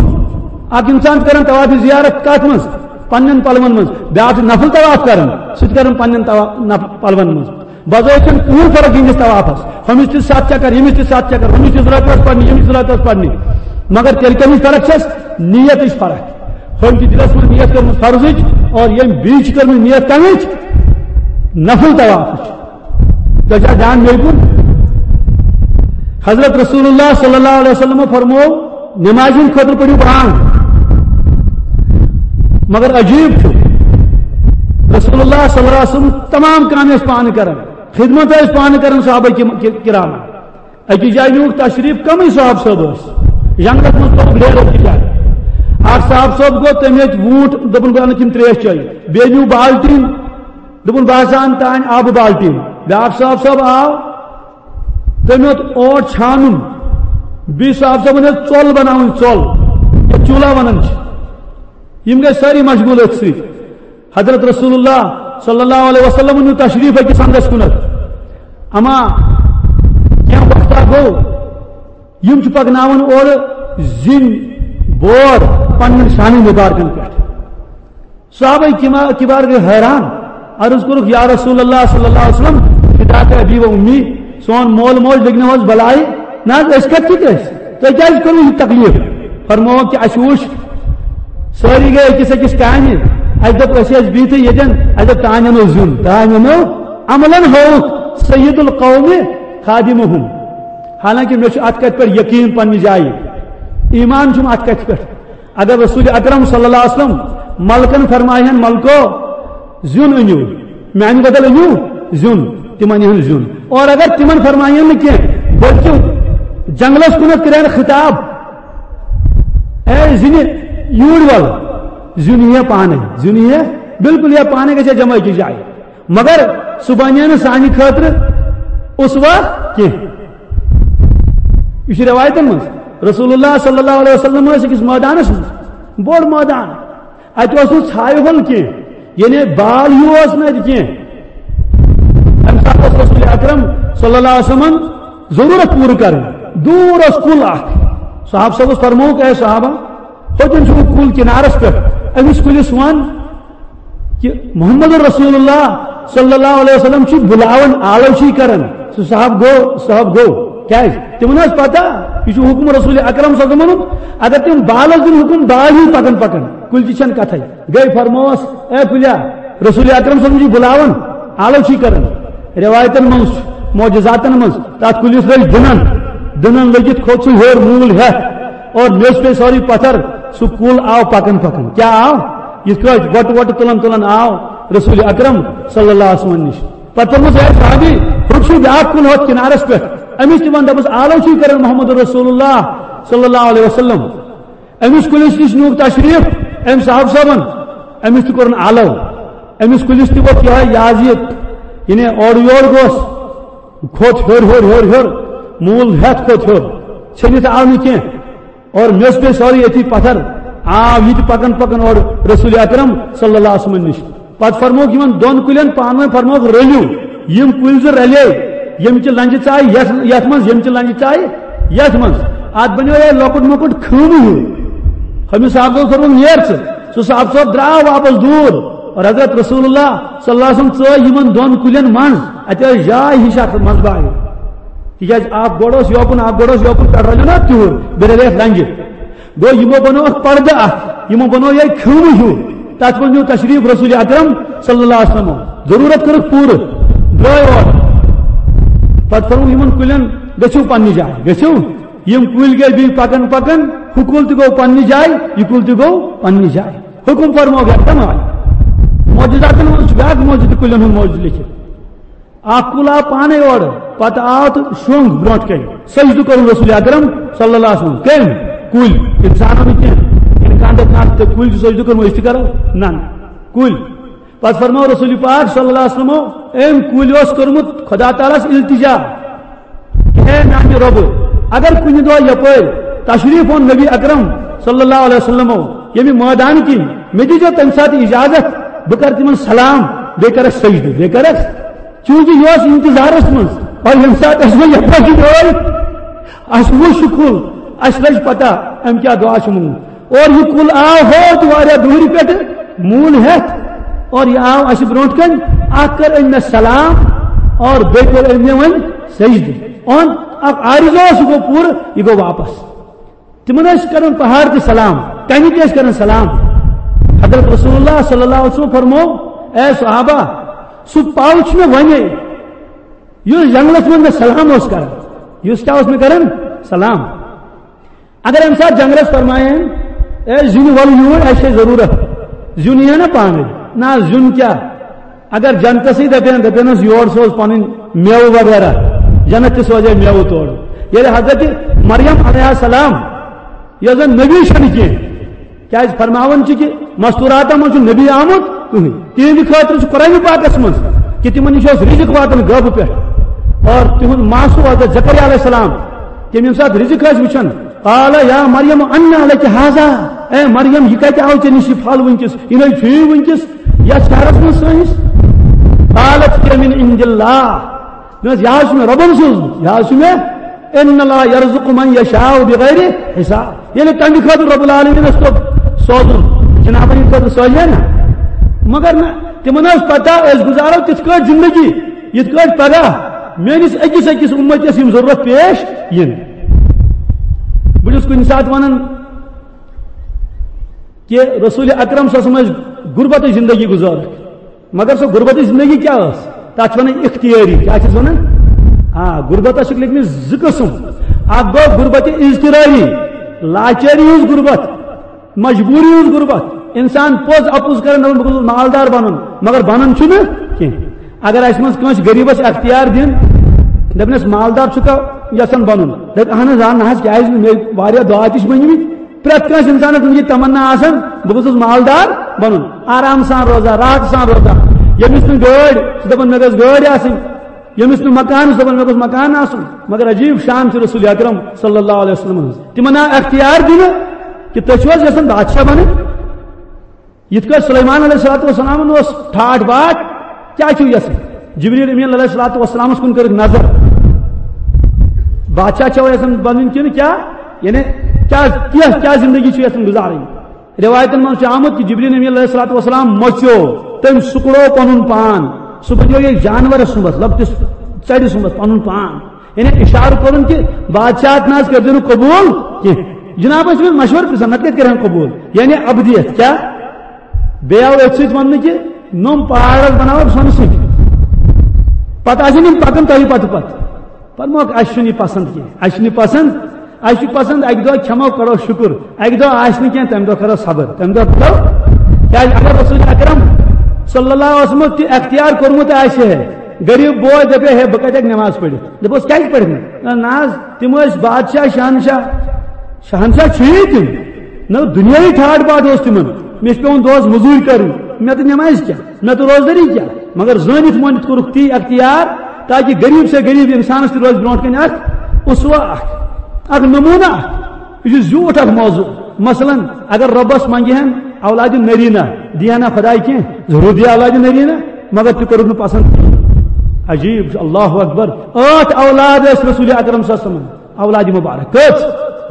اکھ انسان چھُ کران طواف زیارت کتھ منٛز؟ پننٮ۪ن پلون منٛز۔ بیاکھ چھُ نفل طواف کران، سُہ تہِ کران پننٮ۪ن طوا-، نف-، پلون منٛز۔ بظٲہِر چھَنہٕ کٕہٕنۍ فرق یِہنٛدِس طوافس۔ ہُمِس تہِ ستھ چکر، ییٚمِس تہِ ستھ چکر، ہُمِس تہِ زٕ رکعت پرنہِ، ییٚمِس تہِ زٕ رکعت پرنہِ۔ مگر تیٚلہِ کَمِچ فرق چھَس؟ نیتٕچ فرق۔ ہُمۍ چھِ دِلس منٛز نیت کٔرمٕژ فرضٕچ اور ییٚمۍ بیٚیہِ چھِ کٔرمٕژ نیت کَمِچ؟ نفل طوافٕچ۔ تۄہہِ چھا دیان مےٚ کُن؟ حضرت رسول اللہ صلی اللہ علیہ وسلم فرمو، نمازِ ہٕنٛدِ خٲطرٕ پٔرِو بانگ۔ مگر عجیب چھُ، رسول اللہ صلی اللہ علیہ وسلم تمام کامہِ ٲسۍ پانہٕ کران، خدمت ٲسۍ پانہٕ کران صحابہ کی-، کی-، کرامن۔ أکِس جایہِ نیوٗکھ تشریف، کمٕے صحابہٕ صٲب ٲسۍ، جنگس منٛز توٚگ ڈیرٕ أکِس جایہِ۔ اکھ صحابہٕ صٲب گوٚو، تٔمۍ ہیٚتۍ ووٗنٛٹھ، دوٚپُن، "بہٕ اَنہٕ تِم ترٛیش چٲنۍ۔" بیٚیہِ نیوٗ بالٹیٖن، دوٚپُن، "بہٕ ہسا اَنہٕ تانۍ آبہٕ بالٹیٖن۔" بیٛاکھ صحابہٕ صٲب آو، تٔمۍ ہیوٚت اوٹ چھانُن، بیٚیہِ صاحب صٲبن ہیوٚت ژۄل بناوٕنۍ، ژۄل، یَتھ چوٗلہ وَنان چھِ۔ یِم گٔے سٲری مشغوٗل أتھۍ سۭتۍ۔ حضرت رسول اللہ صلی اللہ علیہ وسلم نیوٗ تشریٖف أکِس اَنٛدَس کُنَتھ۔ اما کینٛہہ وقتہ گوٚو، یِم چھِ پَکناوان اورٕ زِنۍ بور پنٛنٮ۪ن شانہِ مُبارکَن پٮ۪ٹھ۔ صحابہ کما-، کبار گٔے حیران، عرض کوٚرُکھ، "یا رسول اللہ صلی اللہ علیہ وسلم، فداک ابی و امی، سون مول موج لٔگۍ نہٕ حظ بلایہِ؟ نہ حظ، أسۍ کَتہِ چھِ أسۍ؟ تۄہہِ کیٛازِ کوٚروٕ یہِ تکلیٖف؟" فرمووُکھ کہِ اَسہِ وُچھ، سٲری گٔے أکِس أکِس کامہِ، اَسہِ دوٚپ، أسۍ ٲسۍ بِہتھٕے ییٚتٮ۪ن، اَسہِ دوٚپ، "تانۍ اَنو زیُن، تانۍ اَنو عملاً ہووُکھ سید القوم خادمہم۔" حالانکہ مےٚ چھُ اَتھ کَتھِ پٮ۪ٹھ یقیٖن پنٛنہِ جایہِ، ایمان چھُم اَتھ کَتھِ پٮ۪ٹھ۔ اگر رسول اکرم صلی اللہ علیہ وسلم ملکن فرمایہن، "ملکو، زیُن أنِو، میانہِ بدل أنِو زیُن"، تِم انہن زیُن۔ اور اگر تِمن فرمایہن نہٕ کینٛہہ، بلکہِ جنگلس کُنتھ کرن خطاب، "اے زِنہِ، یوٗرۍ ول، زیُن یِیہِ پانے، زیُن یِیہِ، بالکل یِیہِ پانے، گژھِ جمع أکِس جایہِ۔" مگر سُہ بنہِ نہٕ سانہِ خٲطرٕ اسوہ کینٛہہ۔ یہِ چھُ رٮ۪وایتن منٛز۔ رسول اللہ صلی اللہ علیہ وسلم ٲسۍ أکِس مٲدانس منٛز، بوٚڑ مٲدان۔ اَتہِ اوس نہٕ ژھایہِ ہُل کینٛہہ، یعنی بال ہیوٗ اوس نہٕ اَتہِ کینٛہہ۔ تَمہِ ساتہٕ اوس رسول اکرم صلی اللہ علیہ وسلمن ضروٗرت پوٗرٕ کرٕنۍ۔ دوٗر اوس کُل اکھ۔ صحابہٕ صٲبس فرمووُکھ، "اے صحابہ، ہوٚتٮ۪ن چھُ کُل کِنارس پٮ۪ٹھ، أمِس کُلِس وَن کہِ محمد رسول اللہ صلی اللہ علیہ وسلم چھُ بُلاوان، آلو چھُ کران۔" سُہ صاحب گوٚو، صاحب گوٚو۔ کیٛازِ؟ تِمن ٲس پتہ، یہِ چھُ حُکم رسول اکرم صلی اللہ علیہ وسلمُن۔ اگر تِم بالس دِن حُکم، بال ہی پکان پکان، کُلۍ تہِ چھَنہٕ کتھے۔ گٔے فرمووس، "اے کُلیا، رسول اکرم صلی اللہ علیہ وسلم چھُ بُلاوان، آلو چھُ کران۔" رٮ۪وایتن منٛز، معجزاتن منٛز، تتھ کُلِس لٔج دٕنن، دٕنن لٔگِتھ کھوٚت سُہ ہیوٚر موٗل ہٮ۪تھ اور میٚژ پیٚیہِ سٲرٕے پتھر، سُہ کُل آو پکان پکان۔ کیٛاہ آو؟ یِتھ کٲٹھۍ وۄٹہٕ وۄٹہٕ تُلان تُلان آو رسول اکرم صلی اللہ علیہ وسلم نِش۔ پتہٕ دوٚپمَس، "اے صحابی، ہُتہِ چھُ بیٛاکھ کُل ہۄتھ کِنارَس پٮ۪ٹھ، أمِس تہِ وَن، دَپُس، آلو چھُے کران محمد رسول اللہ صلی اللہ علیہ وسلم، أمِس کُلِس نِش نیوٗکھ تشریٖف أمۍ صاحب صٲبَن، أمِس تہِ کوٚرُن آلو، أمِس کُلِس تہِ ووٚتھ یِہوٚے یہِ حظ یہِ، یعنی اورٕ یور گوٚژھ۔" کھوٚت ہیوٚر، ہیوٚر، ہیوٚر، ہیوٚر، موٗل ہٮ۪تھ کھوٚت ہیوٚر، ژھٔنِتھ آو نہٕ کینٛہہ۔ اور مےٚ اوس بیٚیہِ سورُے أتی پتھر، آو یہِ تہِ پکان پکان اورٕ رسول اکرم صلی اللہ علیہ وسلم نِش۔ پتہٕ فرمووُکھ یِمن دۄن کُلٮ۪ن پانہٕ ؤنۍ، فرمووُکھ، "رٔلِو۔" یِم کُلۍ زٕ رلے، ییٚمہِ چہِ لنجہِ ژایہِ یتھ، یتھ منٛز، ییٚمہِ چہِ لنجہِ ژایہِ یتھ منٛز۔ اتھ بنیو یِہوٚے لۄکُٹ مۄکُٹ خۭمہٕ ہیوٗ۔ ہُمِس صاحب صٲب فرمووُکھ، "نیر ژٕ۔" سُہ صاحب صٲب درٛاو واپس دوٗر۔ اور حضرت رسول اللہ صلی اللہ علیہ وسلم ژٲے یِمن دۄن کُلٮ۪ن منٛز، اتہِ ٲس جاے ہِش اتھ منٛز باہہِ۔ تِکیازِ اکھ گۄڈٕ اوس یوکُن، اکھ گۄڈٕ اوس یوکُن، پٮ۪ٹھٕ رلیو نا تیوٗر، بیٚیہِ رلیو اتھ لنجہِ۔ گوٚو، یِمو بنوو اکھ پردٕ اتھ، یِمو بنوو یہِ خیمہٕ ہیوٗ۔ تتھ منٛز نیوٗ تشریف رسول اکرم صلی اللہ علیہ وسلم۔ ضروٗرت کٔرٕکھ پوٗرٕ، درٛاے اورٕ۔ پتہٕ فرموو یِمن کُلٮ۪ن، "گٔژھِو پننہِ جایہِ، گٔژھِو۔" یِم کُلۍ گٔے بیٚیہِ پکان پکان، ہُہ کُل تہِ گوٚو پننہِ جایہِ، یہِ کُل تہِ گوٚو پننہِ جایہِ۔ حُکُم فرموو یکدم آے۔ معجزاتن منٛز چھُ بیٛاکھ معجزٕ تہِ کُلٮ۪ن ہُنٛد معجزٕ لیکھِتھ۔ اکھ کُل آو پانے اورٕ، پتہٕ آو تہٕ شۄنٛگ برونٛٹھ کنہِ۔ سجدٕ کوٚرُن رسول اکرم صلی اللہ علیہ وسلم۔ کٔمۍ؟ کُلۍ۔ انسانن نہٕ کینٛہہ۔ انسان دپہِ، "نہ، تہٕ کُلۍ چھِ سجدٕ کوٚرمُت، أسۍ تہِ کرو۔" نہ، نہ۔ کُلۍ۔ پتہٕ فرموو رسول پاک صلی اللہ علیہ وسلمو، أمۍ کُلۍ اوس کوٚرمُت خدا تعالیٰ ہس التجا کہ اے میانہِ رۄبہٕ، اگر کُنہِ دۄہ یپٲرۍ تشریف اوٚن نبی اکرم صلی اللہ علیہ وسلمو ییٚمہِ مٲدان کِنۍ، مےٚ دیٖزیو تمہِ ساتہٕ اجازت، بہٕ کرٕ تِمن سلام، بیٚیہِ کرس سجدٕ، بیٚیہِ کرس چونکہ یہِ اوس انتظارس منٛز۔ اور ییٚمہِ ساتہٕ اَسہِ وۄنۍ یَپٲرۍ کِنۍ ٲے، اَسہِ وُچھ یہِ کُل، اَسہِ لٔج پتہ أمۍ کیٛاہ دُعا چھُ موٚنگمُت۔ اور یہِ کُل آو ہورٕ تہِ واریاہ دوٗرِ پٮ۪ٹھٕ موٗل ہٮ۪تھ، اور یہِ آو اَسہِ برونٛٹھ کَنۍ۔ اَکھ کٔر أمۍ مےٚ سلام اور بیٚیہِ کوٚر أمۍ مےٚ وۄنۍ سجدٕ۔ اور اَکھ عارضہ اوس، یہِ گوٚو پوٗرٕ، یہِ گوٚو واپس۔ تِمن ٲسۍ کران پہاڑ تہِ سلام، کنہِ تہِ ٲسۍ کران سلام۔ حضرت رسول اللہ صلی اللہ علیہ وسلم فرموو، اے صحابہ، سُہ پل چھُ مےٚ ونے، یُس جنگلس منٛز مےٚ سلام اوس کران، یُس کیٛاہ اوس مےٚ کران؟ سلام۔ اگر امہِ ساتہٕ جنگلس فرمایہِ ہن، اے زِنہِ وَلہٕ یوٗرۍ، اَسہِ چھےٚ ضروٗرت، زیُن یِیہِ ہا نا پانے؟ نہ، زیُن کیٛاہ؟ اگر جنتسٕے دپن، دپنس یور سوز پنٕنۍ میوٕ وغیرہ، جنت تہِ سوزے میوٕ تورٕ۔ ییٚلہِ حضرت مریم علیہ السلام، یۄس زن نبی چھنہٕ کینٛہہ، کیازِ فرماوان چھِ کہ مستوراتن منٛز چھُ نبی آمُت کٕہٕنۍ، تِہنٛدِ خٲطرٕ چھُ قرآن پاکس منٛز کہ تِمن نِش اوس رزق واتان غٲبہٕ پٮ۪ٹھ، اور تِہُنٛد ماسوٗ حضرت زکریا علیہ السلام، تِم ییٚمہِ ساتہٕ رزق ٲسۍ وٕچھان، قال یا مریم انا لک ھذا، اے مریم، یہِ کتہِ آو ژےٚ نِش یہِ پھل وٕنکیٚس؟ یہِ نَے چھُے وٕنکیٚس یتھ شہرس منٛز سٲنِس۔ قالت هي من عند الله، مےٚ ٲس، یہِ حظ چھُ مےٚ رۄبن سوٗزمُت، یہِ حظ چھُ مےٚ، ان اللہ یرزق من یشاء بغیر حساب۔ ییٚلہِ تمہِ خٲطرٕ رب العالمین اوس توٚت سوزُن، جنابن ہٕنٛدِ خٲطرٕ سوزِ ہے نہ۔ مگر نہ، تِمن ٲس پتہ أسۍ گُزارو تِتھ کٲٹھۍ زندگی، یِتھ کٲٹھۍ پگاہ میٲنِس أکِس أکِس اُمتس یِم ضروٗرت پیش یِن۔ بہٕ چھُس کُنہِ ساتہٕ ونان، کہ رسول اکرم صلی اللہ علیہ وسلم ٲسۍ غربتٕچ زندگی گُزاران۔ مگر سۄ غربتٕچ زندگی کیٛاہ ٲس؟ تَتھ چھِ وَنان اختیٲری۔ کیٛاہ چھِس وَنان؟ آ، غربتَس چھِ لیکھمٕتۍ زٕ قٕسٕم۔ اَکھ گوٚو غربت اضطراری، لاچٲری ہٕنٛز غربت، مجبوٗری ہٕنٛز غربت۔ اِنسان پوٚز اَپُز کَران، دَپان، "بہٕ گوٚژھُس مالدار بَنُن"، مگر بَنان چھُنہٕ کینٛہہ۔ اگر اَسہِ منٛز کٲنٛسہِ غریٖبَس اختیار دِن، دَپنَس، "مالدار چھُکھا یَژھان بَنُن؟" دَپہِ، "اَہَن حظ، آ، نہ حظ، کیٛازِ نہٕ؟ مےٚ واریاہ دعا تہِ چھِ مٔنٛگمٕتۍ۔" پرٛٮ۪تھ کٲنٛسہِ اِنسانَس منٛز یہِ تمنا آسان، بہٕ گوٚژھُس مالدار بَنُن، آرام سان روزان، راحت سان روزان۔ ییٚمِس نہٕ گٲڑۍ، سُہ دَپان، "مےٚ گٔژھ گٲڑۍ آسٕنۍ۔" ییٚمِس نہٕ مکان، سُہ دَپان، "مےٚ گوٚژھ مکان آسُن۔" مگر عجیٖب شان چھِ رسول اکرم صلی اللہ علیہ وسلم ہٕنٛز۔ تِمن آو اختیار دِنہٕ کہِ تُہۍ چھِو حظ یژھان بادشاہ بَنٕنۍ؟ یِتھ کٲٹھۍ سلیمان علیہ الصلوۃ والسلامن اوس ٹھاٹھ باٹھ، کیٛاہ چھِو یژھان؟ جبریل امین علیہ الصلوۃ والسلامس کُن کٔرٕکھ نظر، بادشاہ چھو یژھان بنٕنۍ کِنہٕ کیٛاہ؟ یعنی کیٛاہ، کیٛاہ، کیٛاہ زندگی چھِو یژھان گُزارٕنۍ؟ روایتن منٛز چھُ آمُت کہِ جبریل امین علیہ الصلوۃ والسلام مۄژیو، تٔمۍ سُکڑو پنُن پان، سُہ بنیو یہِ جانورس سُمبتھ، لۄکٹِس ژرِ سُمبتھ پنُن پان۔ یعنی اشارٕ کوٚرُن کہِ بادشاہت نہ حظ کٔرۍزیو نہٕ قبوٗل کینٛہہ۔ جناب ٲسۍ أمِس مشورٕ پرژھان، نتہٕ کتہِ کرِہن قبوٗل؟ یعنی ابدیت کیٛاہ؟ بیٚیہِ آو أتھۍ سۭتۍ وننہٕ کہِ نوٚم پہاڑ حظ بناوو سۄنہٕ سۭتۍ۔ پتہٕ آسن یِم پکان تۄہہِ پتہٕ پتہٕ۔ پتہٕ مۄکھ، اسہِ چھُنہٕ یہِ پسند کینٛہہ، اسہِ چھُنہٕ یہِ پسند۔ اسہِ چھُ پسند اکہِ دۄہ کھٮ۪مو، کرو شُکر، اکہِ دۄہ آسہِ نہٕ کینٛہہ، تمہِ دۄہ کرو صبر، تمہِ دۄہ کرو۔ کیٛازِ اگر رسول اکرم صلی اللہ علیہ وسلم تہِ اختیار کوٚرمُت آسہِ ہے، غریب بوے دپے ہے، بہٕ کتہِ ہیٚکہٕ نماز پٔرِتھ؟ دپوس، کیٛازِ پٔرِتھ نہٕ؟ نہ، نہ حظ، تِم ٲسۍ بادشاہ، شہنشاہ، شہنشاہ چھُیی تِم۔ نہ، دُنیاہی ٹھاٹھ باٹھ اوس تِمن۔ مےٚ چھُ پٮ۪وان دۄہس مٔزوٗرۍ کرٕنۍ، مےٚ تہٕ نمازِ کیٛاہ، مےٚ تہٕ روزدٲری کیٛاہ؟ مگر زٲنِتھ مٲنِتھ کوٚرُکھ تی اختیار تاکہ غریب سے غریب انسانس تہِ روزِ برونٛٹھ کنہِ اکھ اسوہ اکھ، اکھ نمونہ اکھ۔ یہِ چھُ زیوٗٹھ اکھ موضوع۔ مثلاً، اگر رۄبس منگہِ ہن اولادِ نرینہ، دِیہِ ہنا خداے کینٛہہ؟ ضرور دِیہِ اولادِ نرینہ، مگر تہِ کوٚرُکھ نہٕ پسند کینٛہہ۔ عجیب چھُ، اللہ اکبر۔ ٲٹھ اولاد ٲسۍ رسول اکرم صلی اللہ علیہ وسلم۔ اولاد مبارک کٔژ؟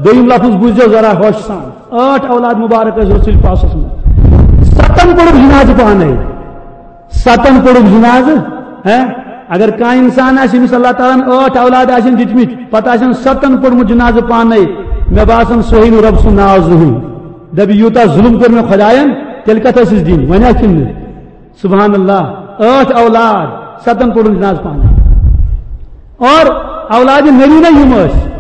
دوٚیِم لفظ بوٗزیو ذرا ہوشہِ سان۔ ٲٹھ اولاد مبارک ٲسۍ رسول پاک صلی اللہ علیہ وسلم۔ ستن پوٚرُکھ جنازٕ پانے۔ ستن پوٚرُکھ جنازٕ۔ ہہ؟ اگر کانٛہہ انسان آسہِ، ییٚمِس اللہ تعالیٰ ہن ٲٹھ اولاد آسن دِتمٕتۍ، پتہٕ آسن ستن پوٚرمُت جنازٕ پانے، مےٚ باسان، سُہ ہیٚیہِ نہٕ رۄب سُنٛد ناو زٕہٕنۍ۔ دپہِ، یوٗتاہ ظُلم کوٚر مےٚ خۄداین، تیٚلہِ کتھ ٲسِس دِنۍ؟ وۄنۍ آسہِ کِنہٕ نہٕ؟ سبحان اللہ، ٲٹھ اولاد، ستن پوٚرُن جنازٕ پانے۔ اور اولادِ نرینہ یِم ٲسۍ،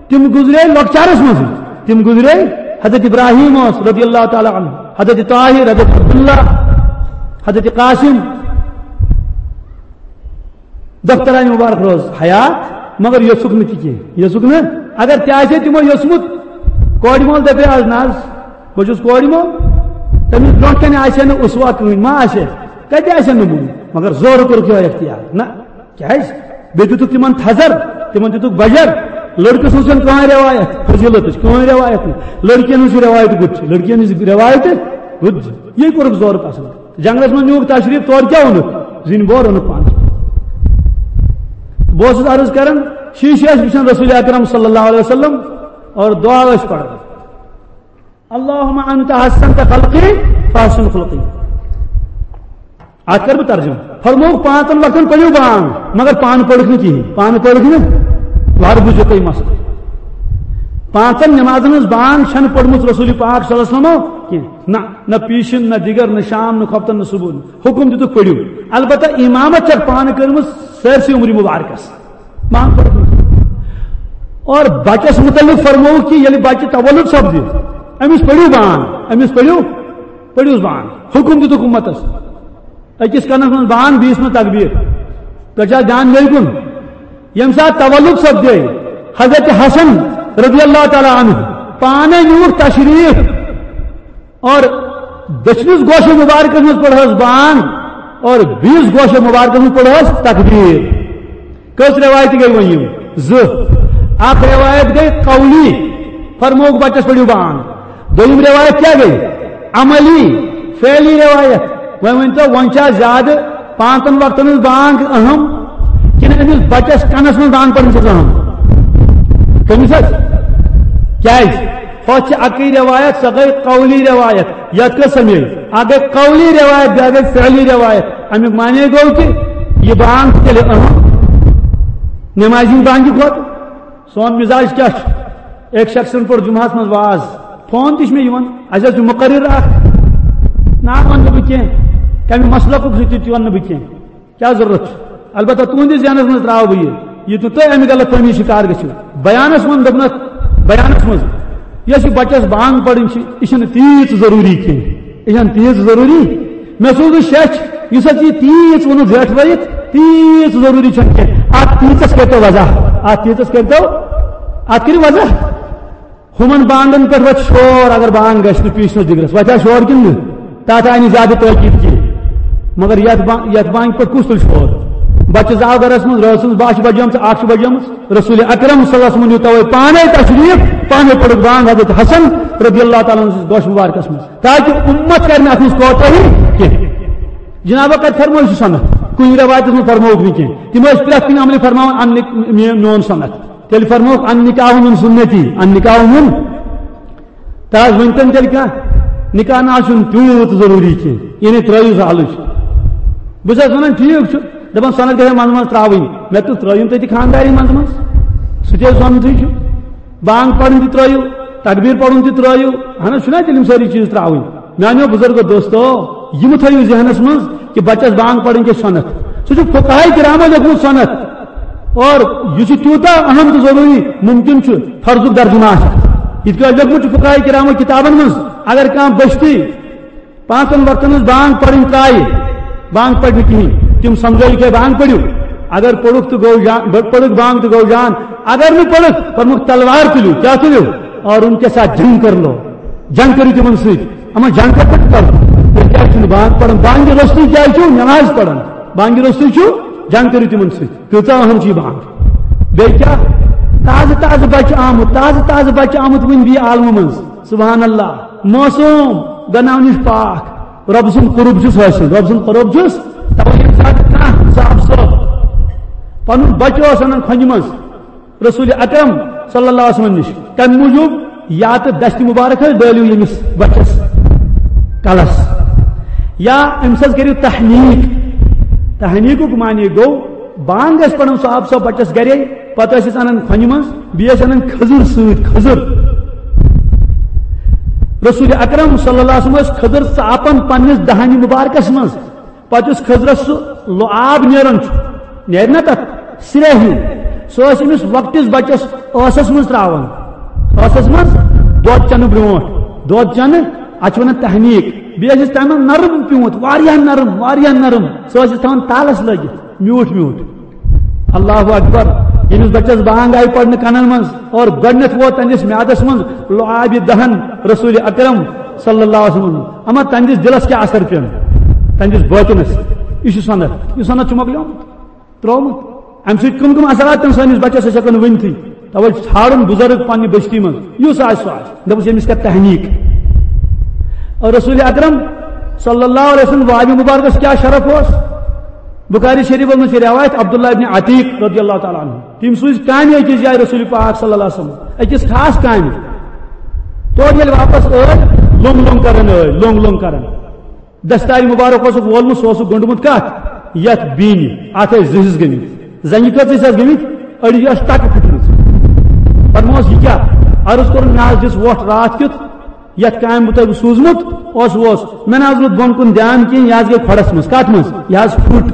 تِم گُزرے لۄکچارس منٛز۔ تِم گُزرے، حضرت ابراہیم اوس رضی اللہ تعالیٰ عنہ، حضرت طاہر، حضرت عبداللہ، حضرت قاسم۔ دخترانہِ مبارک روز حیات، مگر یوٚژھُکھ نہٕ تہِ کینٛہہ، یوٚژھُکھ نہٕ۔ اگر تہِ آسہِ ہے تِمو یوٚژھمُت، کورِ مول دپے از نہ حظ، بہٕ چھُس کورِ مول، تٔمِس برونٛٹھ کنہِ آسہِ ہے نہٕ اسوہ کٕہٕنۍ، ما آسہِ ہے؟ کتہِ آسہِ ہے نموٗنہٕ؟ مگر زورٕ کوٚرُکھ یِہوٚے اختیار۔ نہ، کیازِ؟ بیٚیہِ دِتُکھ تِمن تھزر، تِمن دِتُکھ بجر۔ لڑکہٕ سٕنٛز چھنہٕ کٕہٕنۍ رٮ۪وایت، فضیلتٕچ کٕہٕنۍ رٮ۪وایت نہٕ۔ لڑکین ہٕنٛز چھِ رٮ۪وایت گُتھ چھِ، لڑکین ہٕنٛز رٮ۪وایت گُتھ چھِ۔ یی کوٚرُکھ زورٕ پسند۔ جنگلس منٛز نیوٗکھ تشریف، تورٕ کیٛاہ اوٚنُکھ؟ زِنۍ بور اوٚنُکھ پانس۔ بہٕ اوسُس عرض کران، شیٖشہٕ ٲسۍ وٕچھان رسول اکرم صلی اللہ علیہ وسلم اور دعا ٲسۍ پران، اللہم انت حسنت خلقی فاحسن خلقی۔ اتھ کر بہٕ ترجمہٕ۔ فرمووُکھ، پانٛژن وقتن پٔرِو بانگ، مگر پانہٕ پٔرِکھ نہٕ کِہیٖنۍ، پانہٕ پٔرِکھ نہٕ۔ وارٕ بوٗزِو تُہۍ مسلہٕ۔ پانٛژن نمازن ہٕنٛز بانگ چھنہٕ پٔرمٕژ رسول پاک صلی اللہ علیہ وسلمو کینٛہہ۔ نہ، نہ پیٖشِن، نہ دِگر، نہ شام، نہ خۄفتن، نہ صبحن۔ حُکُم دِتُکھ پٔرِو۔ البتہ امامت چھکھ پانہٕ کٔرمٕژ سٲرسٕے عمرِ مبارکس۔ بانگ پٔرِو۔ اور بچس متعلق فرمووُکھ کہ ییٚلہِ بچہِ تولد سپدِ، أمِس پٔرِو بانگ، أمِس پٔرِو، پٔرِوس بانگ۔ حُکُم دِتُکھ اُمتس۔ أکِس کَنَس منٛز بانگ، بیٚیِس منٛز تکبیٖر۔ تۄہہِ چھا دیان بیٚیہِ کُن؟ ییٚمہِ ساتہٕ تولد سپدے حضرت حسن رضی اللہ تعالیٰ عنہ، پانے نیوٗکھ تشریٖف اور دٔچھنِس گوشہِ مُبارکس منٛز پٔرہس بانگ اور بیٚیِس گوشہِ مُبارکس منٛز پٔرہس تکبیٖر۔ کٔژ رٮ۪وایتہٕ گٔے وۄنۍ یِم؟ زٕ۔ اکھ رٮ۪وایت گٔے قولی، فرمووُکھ بچس پٔرِو بانگ۔ دوٚیِم رٮ۪وایت کیٛاہ گٔے؟ عملی، فعلی رٮ۪وایت۔ وۄنۍ ؤنۍ تو، وۄنۍ چھا زیادٕ پانٛژن وقتن ہٕنٛز بانگ اہم کِنہٕ أمِس بچس کنس منٛز بانگ پرٕنۍ چھِ اہم؟ کٔمِس حظ؟ کیٛازِ؟ ہۄتھ چھِ اکٕے رٮ۪وایت، سۄ گٔے قولی رٮ۪وایت۔ یتھ کٔژ سمے؟ اکھ گٔے قولی رٮ۪وایت، بیٛاکھ گٔے فعلی رٮ۪وایت۔ امیُک معنی گوٚو کہِ یہِ بانگ چھِ تیٚلہِ اہم نمازِ ہٕنٛدِ بانگہِ کھۄتہٕ۔ سون مزاج کیٛاہ چھُ؟ أکۍ شخصن پوٚر جمعہس منٛز واز، فون تہِ چھُ مےٚ یِوان، اسہِ حظ چھُ مقرر اکھ، ناو ونہٕ نہٕ بہٕ کینٛہہ، کمہِ مسلکُک سُہ تہِ تہِ ونہٕ نہٕ بہٕ کینٛہہ۔ کیٛاہ ضروٗرت چھُ؟ البتہ تُہنٛدِس ذہنس منٛز ترٛاوٕ بہٕ یہِ، یہِ تہٕ تُہۍ امہِ غلط فہمی شکار گٔژھِو۔ بیانس منٛز دوٚپنکھ، بیانس منٛز یۄس یہِ بچس بانگ پرٕنۍ چھِ، یہِ چھنہٕ تیٖژ ضروٗری کینٛہہ، یہِ چھنہٕ تیٖژ ضروٗری۔ مےٚ سوٗز نہٕ شیٚچھ، یُس اتھ یہِ تیٖژ ووٚنُکھ زیٹھ ترٲیِتھ، تیٖژ ضروٗری چھنہٕ کینٛہہ۔ اتھ تیٖژس کٔرۍتو وضاح، اتھ تیٖژس کٔرۍتو، اتھ کٔرِو وضاح۔ ہُمن بانگن پٮ۪ٹھ وۄتھِ شور، اگر بانگ گژھِ نہٕ پیٖشنس دِگرس، وۄتھِ ہا شور کِنہٕ نہٕ؟ تتھ آیہِ نہٕ زیادٕ تٲکید کینٛہہ۔ مگر یتھ با-، یتھ بانگہِ پٮ۪ٹھ کُس تُلہِ شور؟ بچہِ زاو گرس منٛز، رٲژ ہٕنٛز باہ چھِ بجیمژٕ، اکھ چھِ بجیمٕژ، رسول اکرم صلی اللہ علیہ وسلمن نیوٗ توے پانے تشریٖف، پانے پٔرٕکھ بانگ حضرت حسن رضی اللہ تعالیٰ عنہ سٕنٛدِس گوشہِ مبارکس منٛز، تاکہِ اُمت کرِ نہٕ اتھ منٛز کوتاہی کینٛہہ۔ جنابو کتہِ فرموو سُہ سنت؟ کُنہِ رٮ۪وایتس منٛز فرمووُکھ نہٕ کینٛہہ۔ تِم ٲسۍ پرٛٮ۪تھ کُنہِ عملہِ فرماوان، "ان نک-، مے-، میون سنت۔" تیٚلہِ فرمووُکھ، "ان نکاح من سنتی، ان نکاح من۔" تہٕ حظ ؤنۍتن تیٚلہِ کانٛہہ، نکاح نہ حظ چھُنہٕ تیوٗت ضروٗری کینٛہہ، یعنی ترٛٲیِو زٕ حلٕچ۔ بہٕ چھُس وَنان، ٹھیٖک چھُ، دَپان سۄنَتھ گژھِ منٛزٕ منٛزٕ ترٛاوٕنۍ۔ مےٚ تُل ترٛٲیِو تُہۍ تہِ خانٛدارِنۍ منٛزٕ منٛزٕ، سُہ تہِ حظ سۄنتھٕے چھُ۔ بانٛگ پَرٕنۍ تہِ ترٛٲیِو، تکبیٖر پَرُن تہِ ترٛٲیِو، اَہَن حظ، چھُنہ تیٚلہِ یِم سٲری چیٖز ترٛاوٕنۍ؟ میٛانیو بُزرگو دوستو، یِم تھٲیِو ذہنَس منٛز کہِ بَچَس بانٛگ پَرٕنۍ گژھِ سۄنَتھ۔ سُہ چھُ فقہاء کرامو لیوٚکھمُت سۄنَتھ۔ اور یہِ چھُ تیوٗتاہ اہم تہٕ ضروٗری، مُمکِن چھُ فرضُک درجہٕ ما آسہِ۔ یِتھ کٔنۍ لیوٚکھمُت چھُ فقہاء کرامو کِتابَن منٛز، اگر کانٛہہ بٔچھتی پانٛژن وقتن ہٕنٛز بانگ پرٕنۍ ترٛایہِ، بانگ پرِ نہٕ کِہیٖنۍ۔ تِم سمجھٲوِکھ ہے بانگ پٔرِو، اگر پوٚرُکھ تہٕ گوٚو جان، بٔ-، پٔرٕکھ بانگ تہٕ گوٚو جان، اگر نہٕ پٔرٕکھ، پوٚرمُت تلوار تُلِو، کیٛاہ تُلِو؟ اور ان کے ساتھ جنگ کر لو، جنگ کٔرِو تِمن سۭتۍ۔ اما جنگ کتھ پٮ۪ٹھ کرو؟ تُہۍ کیٛازِ چھِو نہٕ بانگ پران؟ بانگہِ روٚستُے کیٛازِ چھِو نماز پران؟ بانگہِ روٚستُے چھِو جنگ کٔرِو تِمن سۭتۍ، کۭژاہ اہم چھِ یہِ بانگ۔ بیٚیہِ کیٛاہ؟ تازٕ تازٕ بچہٕ آمُت، تازٕ تازٕ بچہٕ آمُت وُنہِ بیٚیہِ عالمہٕ منٛز۔ سبحان اللہ، معصوم، گۄناہو نِش پاک، رۄب سُنٛد قرب چھُس حٲصِل، رۄب سُنٛد قرب چھُس۔ توے ییٚمہِ ساتہٕ کانٛہہ صاحب صٲب پنُن بچہٕ اوس انان کھۄنہِ منٛز، رسول اکرم صلی اللہ علیہ وسلم نِش، تمہِ موٗجوٗب یا تہٕ دستہِ مُبارک حظ ڈٲلِو ییٚمِس بچس کلس، یا أمِس حظ کٔرِو تحنیٖک۔ تحنیٖکُک معنی گوٚو، بانگ ٲسۍ پران صاحب صٲب بچس گرے، پتہٕ ٲسۍ أسۍ انان کھۄنہِ منٛز، بیٚیہِ ٲسۍ انان کھٔزٕر سۭتۍ، کھٔزٕر۔ رسول اکرم صلی اللہ علیہ وسلم ٲسۍ کھٔزٕر ژاپان پننِس دہانہِ مُبارکس منٛز۔ پتہٕ یُس کھٔزرس سُہ لۄ-، آب نیران چھُ، نیرِ نا تتھ سرے ہیوٗ، سُہ ٲسۍ أمِس لۄکٹِس بچس ٲسس منٛز تراوان۔ ٲسس منٛز دۄد چٮ۪نہٕ برونٛٹھ، دۄد چٮ۪نہٕ، اتھ چھِ ونان تحنیٖک۔ بیٚیہِ ٲسِس تمہِ منٛز نرم پیوٗنت، واریاہ نرم، واریاہ نرم، سُہ ٲسِس تھاوان تالس لٲگِتھ، میوٗٹھ میوٗٹھ۔ اللہ اکبر۔ ییٚمِس بچس بانگ آیہِ پرنہٕ کنن منٛز اور گۄڈٕنیتھ ووت تہنٛدِس میادس منٛز لۄ-، آبِ دہن رسول اکرم صلی اللہ علیہ وسلم۔ اما تہنٛدِس دِلس کیٛاہ اثر پیوٚن؟ تہنٛدِس باطنس۔ یہِ چھُ سند، یہِ سند چھُ مۄکلیومُت، ترٛوومُت۔ امہِ سۭتۍ کم کم اثرات پیوٚن سٲنِس بچس، أسۍ ہٮ۪کو نہٕ ؤنتھٕے۔ توے ژھانڈُن بُزرگ پننہِ بستی منٛز، یُس آسہِ سُہ آسہِ، دپُس ییٚمِس کر تحنیٖک۔ اور رسول اکرم صلی اللہ علیہ وسلم وابِ مبارکس کیٛاہ شرف اوس؟ بخاری شریفس منٛز چھِ روایت عبداللہ ابن عتیق رضی اللہ تعالیٰ عنہ۔ تِم سوٗزۍ کامہِ أکِس جایہِ رسول پاک صلی اللہ علیہ وسلم، أکِس خاص کامہِ۔ تورٕ ییٚلہِ واپس ٲے، لوٚنگ لوٚنگ کران ٲے، لوٚنگ لوٚنگ کران۔ دستارِ مُبارک اوسُکھ وولمُت، سُہ اوسُکھ گوٚنٛڈمُت کتھ؟ یتھ بیٖنہِ۔ اتھ ٲسۍ زٕ حصہٕ گٔمٕتۍ۔ زنگہِ کٔژ حصہٕ آسہٕ گٔمٕتۍ؟ أڑِس ٲس ٹکہٕ پھُٹمٕژ۔ فرموس، یہِ کیٛاہ؟ عرض کوٚرُن، مےٚ حظ دِژ وۄٹھ راتھ کیُتھ، یتھ کامہِ بہٕ تۄہہِ سوٗزمُت اوس، اوس۔ مےٚ نہ حظ روٗد بۄن کُن دیان کینٛہہ، یہِ حظ گٔے کھۄڈس منٛز۔ کتھ منٛز؟ یہِ حظ پھُٹ۔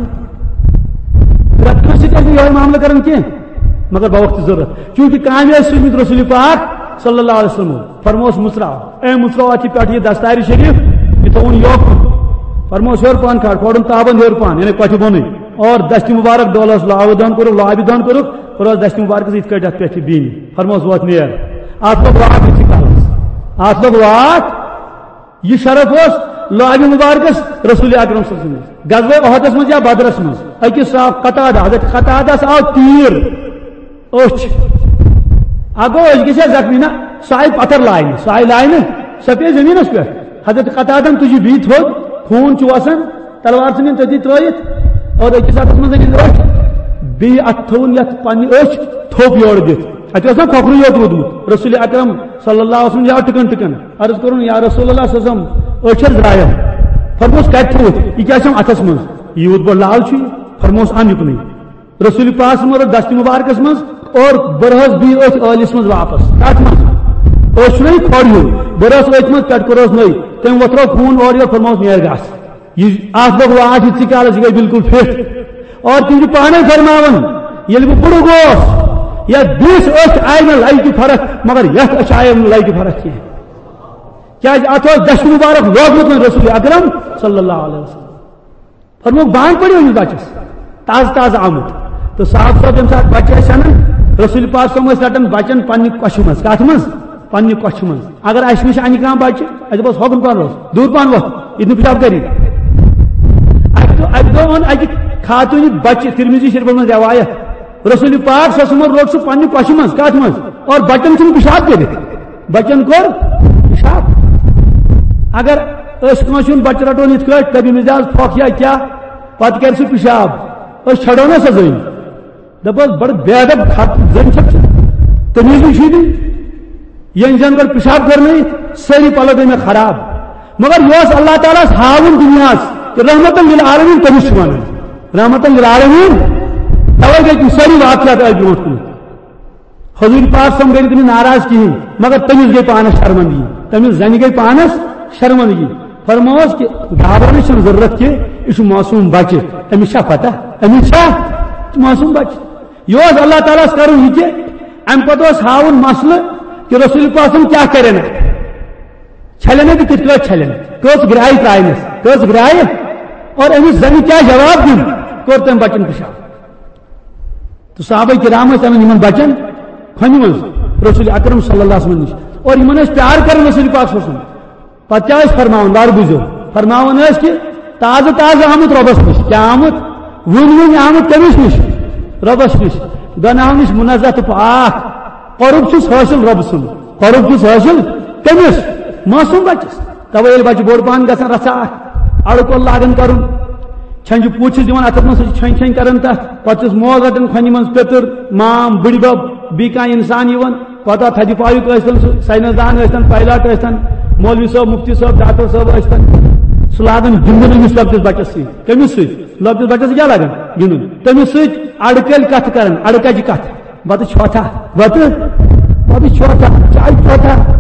پرٛٮ۪تھ کٲنٛسہِ سۭتۍ ٲسۍ نہٕ یِہوٚے معاملہٕ کران کینٛہہ، مگر بوقتٕچ ضروٗرت۔ چوٗنٛکہِ کامہِ ٲسۍ سوٗزمٕتۍ رسول پاک صلی اللہ علیہ وسلم۔ فرموس، مُژراو، اے مُژراو، اتھ یہِ پٮ۪ٹھ یہِ دستارِ شریف، یہِ تھووُن یوکُن۔ فرموس، ہیوٚر پہن کھار، کھولُن تابن ہیوٚر پہن، یعنی کۄٹھِ بۄنٕے۔ اور دستہِ مُبارک ڈولس لۄ-، آبہٕ دان کوٚرُکھ، لۄ-، آبہِ دان کوٚرُکھ، اور اوس دستہِ مُبارکس یِتھ کٲٹھۍ اتھ پٮ۪ٹھ یہِ بیٖنہِ۔ فرموس، ووت نیر۔ اتھ لوٚگ واتھ یِتھٕے کالس۔ اتھ لوٚگ واتھ۔ یہِ شرف اوس لۄ-، آبِ مُبارکس رسول اکرم صلی اللہ علیہ وسلم۔ غزوہ احدس منٛز یا بدرس منٛز أکِس صاحب قتادہ، حضرت قتادس آو تیٖر أچھ۔ اَکھ گوٚو أچھ گژھِ ہا زخمی، نہ، سُہ آیہِ پتھر لاینہٕ، سُہ آیہِ لاینہٕ، سۄ پیٚیہِ زٔمیٖنَس پٮ۪ٹھ۔ حضرت قتادن تُجہِ بیٚیہِ تھوٚد، خوٗن چھُ وَسان، تلوار ژھٕنِن تٔتی ترٛٲیِتھ، اور أکِس اَتھَس منٛز أنِن أچھ، بیٚیہِ اَتھٕ تھوٚوُن یَتھ پنٛنہِ أچھ تھوٚپ یورٕ دِتھ۔ اَتہِ اوس نا کھۄکھرُے یوت روٗدمُت۔ رسول اکرم صلی اللہ علیہ وسلم یا ٹٕکَن ٹٕکَن عرض کوٚرُن، یا رسول اللہ صلی اللہ علیہ وسلم، أچھ حظ درٛایَم۔ فرموس، کَتہِ تھوٚوُتھ؟ یہِ کیٛاہ چھَم اَتھَس منٛز؟ یوٗت بوٚڑ لال چھُ یہِ۔ فرموس، اَن یُکنُے۔ رسول پاک صلی اللہ علیہ وسلم دست مبارکس منٛز اور بٔرہس بیٚیہِ أتھۍ ٲلِس منٛز واپس۔ کتھ منٛز؟ أسۍ چھُنہ یہِ کھۄڈ ہیوٚر، بٔرہس أتھۍ منٛز، پٮ۪ٹھٕ کوٚرہس نٔے، تٔمۍ وۄتھرٲو خوٗن اورٕ یورٕ، فرمووُس، نیر گژھ۔ یہِ اتھ لوٚگ واٹھ یِتھسٕے کالس، یہِ گٔے بالکل فِٹ۔ اور تِم چھِ پانے فرماوان، ییٚلہِ بہٕ بُڈٕ گوس، یتھ بیٚیِس أچھ آیہِ مےٚ لگہِ فرق، مگر یتھ أچھ آیہِ نہٕ لگہِ فرق کینٛہہ۔ کیازِ اتھ اوس دست مبارک لوگمُت وۄنۍ رسول اکرم صلی اللہ علیہ وسلم۔ فرمووُکھ، بانگ پٔرِو أمِس بچس۔ تازٕ تازٕ آمُت۔ تہٕ صاحب صٲب ییٚمہِ ساتہٕ بچہِ ٲسۍ اَنان، رسول پاک صٲب ٲسۍ رٹان بچن پننہِ کۄچھِ منٛز۔ کتھ منٛز؟ پننہِ کۄچھِ منٛز۔ اگر اسہِ نِش انہِ کانٛہہ بچہِ، اسہِ دپوس، ہوکُن پہن روز، دوٗر پہن وۄتھ، ییٚتہِ نہٕ پِشاب کری۔ اکہِ دۄہ، اکہِ دۄہ اوٚن اکہِ خاتوٗنہِ بچہِ، ترمذی شریفس منٛز روایت، رسول پاک صلی اللہ علیہ وسلم روٚٹ سُہ پننہِ کۄچھِ منٛز۔ کتھ منٛز؟ اور بچن چھُنہٕ پِشاب کٔرِتھ۔ بچن کوٚر پِشاب۔ اگر أسۍ کٲنٛسہِ ہُنٛد بچہٕ رٹون یِتھ کٲٹھۍ، دپہِ أمِس دِ حظ پھۄکھ یا کیٛاہ، پتہٕ کرِ سُہ پِشاب، أسۍ چھڑو نا سۄ زٔنۍ؟ دپوس، بڑٕ بے ادب، خط زٔنۍ چھکھ ژٕ، تٔمِس نِش چھُے نہٕ۔ ییٚمۍ زن گۄڈٕ پِشاب کٔر نہٕ، سٲری پلو گٔے مےٚ خراب۔ مگر یہِ اوس اللہ تعالیٰ ہس ہاوُن دُنیاہس کہِ رحمتن للعالمین کٔمِس چھِ ونان۔ رحمتن للعالمین، توے گٔے تِم سٲری واقعات أتھۍ برونٛٹھ کُن۔ حضور پاک صلی اللہ علیہ وسلم گٔے نہٕ تٔمِس ناراض کِہیٖنۍ، مگر تٔمِس گٔے پانس شرمندگی، تٔمِس زنہِ گٔے پانس شرمندگی۔ فرمووس کہِ گھبراونٕچ چھَنہٕ ضروٗرت کینٛہہ، یہِ چھُ معصوٗم بچہِ، أمِس چھا پتہ، أمِس چھا؟ یہِ چھُ معصوٗم بچہِ۔ یہِ اوس اللہ تعالیٰ ہس کرُن یہِ کہِ اَمہِ پتہٕ اوس ہاوُن مسلہٕ کہِ رسول پاک صلی اللہ علیہ وسلم کیٛاہ کرن اَتھ، چھلن تہٕ کِتھ پٲٹھۍ چھلن، کٔژ گرٛایہِ ترٛاونس، کٔژ گرٛایہِ، اور أمِس زنہِ کیٛاہ جواب دیُن، کوٚر تٔمۍ بچن پِشاب۔ تہٕ صحابہ کرام ٲسۍ اَنان یِمن بچن کھۄنہِ منٛز رسول اکرم صلی اللہ علیہ وسلم نِش، اور یِمن ٲسۍ پیار کران رسول پاک صلی اللہ علیہ وسلم۔ پتہٕ کیٛاہ ٲسۍ فرماوان؟ وارٕ بوٗزِو، فرماوان ٲسۍ کہِ تازٕ تازٕ آمُت رۄبس نِش، کیٛاہ آمُت؟ وُنہِ وُنہِ آمُت کٔمِس نِش؟ رۄبَس نِش۔ گۄناہو نِش منزہ تہٕ پاک۔ قرب چھُس حٲصِل رۄبہٕ سُنٛد۔ قرب چھُس حٲصِل کٔمِس؟ معصوٗم بَچَس۔ تَوَے ییٚلہِ بَچہٕ بوٚڑ پَہَن گژھان، رَژھا اَکھ اَڑٕ کول لاگان کَرُن، چھَنجہِ پوٗتۍ چھِس دِوان اَتھَس منٛز، سُہ چھِ چھَنجہِ چھَنجہِ کَران تَتھ، پَتہٕ چھُس موج رَٹان کھۄنہِ منٛز، پیٚتٕر، مام، بٕڈِبَب، بیٚیہِ کانٛہہ اِنسان یِوان، پَتہٕ تھدِ پایُک ٲسۍتَن سُہ، ساینس دان ٲسۍتَن، پایلاٹ ٲسۍتَن، مولوی صٲب، مُفتی صٲب، ڈاکٹر صٲب ٲسۍتَن، سُہ لاگان گِنٛدُن أمِس لۄکٹِس بَچَس سۭتۍ۔ کٔمِس سۭتۍ؟ لۄکٹِس بَچَس سۭتۍ کیٛاہ لاگان؟ گِنٛدُن۔ تٔمِس سۭتۍ اَڑٕ کَلہِ کَتھٕ کَران، اَڑٕ کَجہِ کَتھٕ۔ بَتہٕ چھۄتھا، بَتہٕ، بَتہٕ چھۄتھا، چاے چھۄتھا۔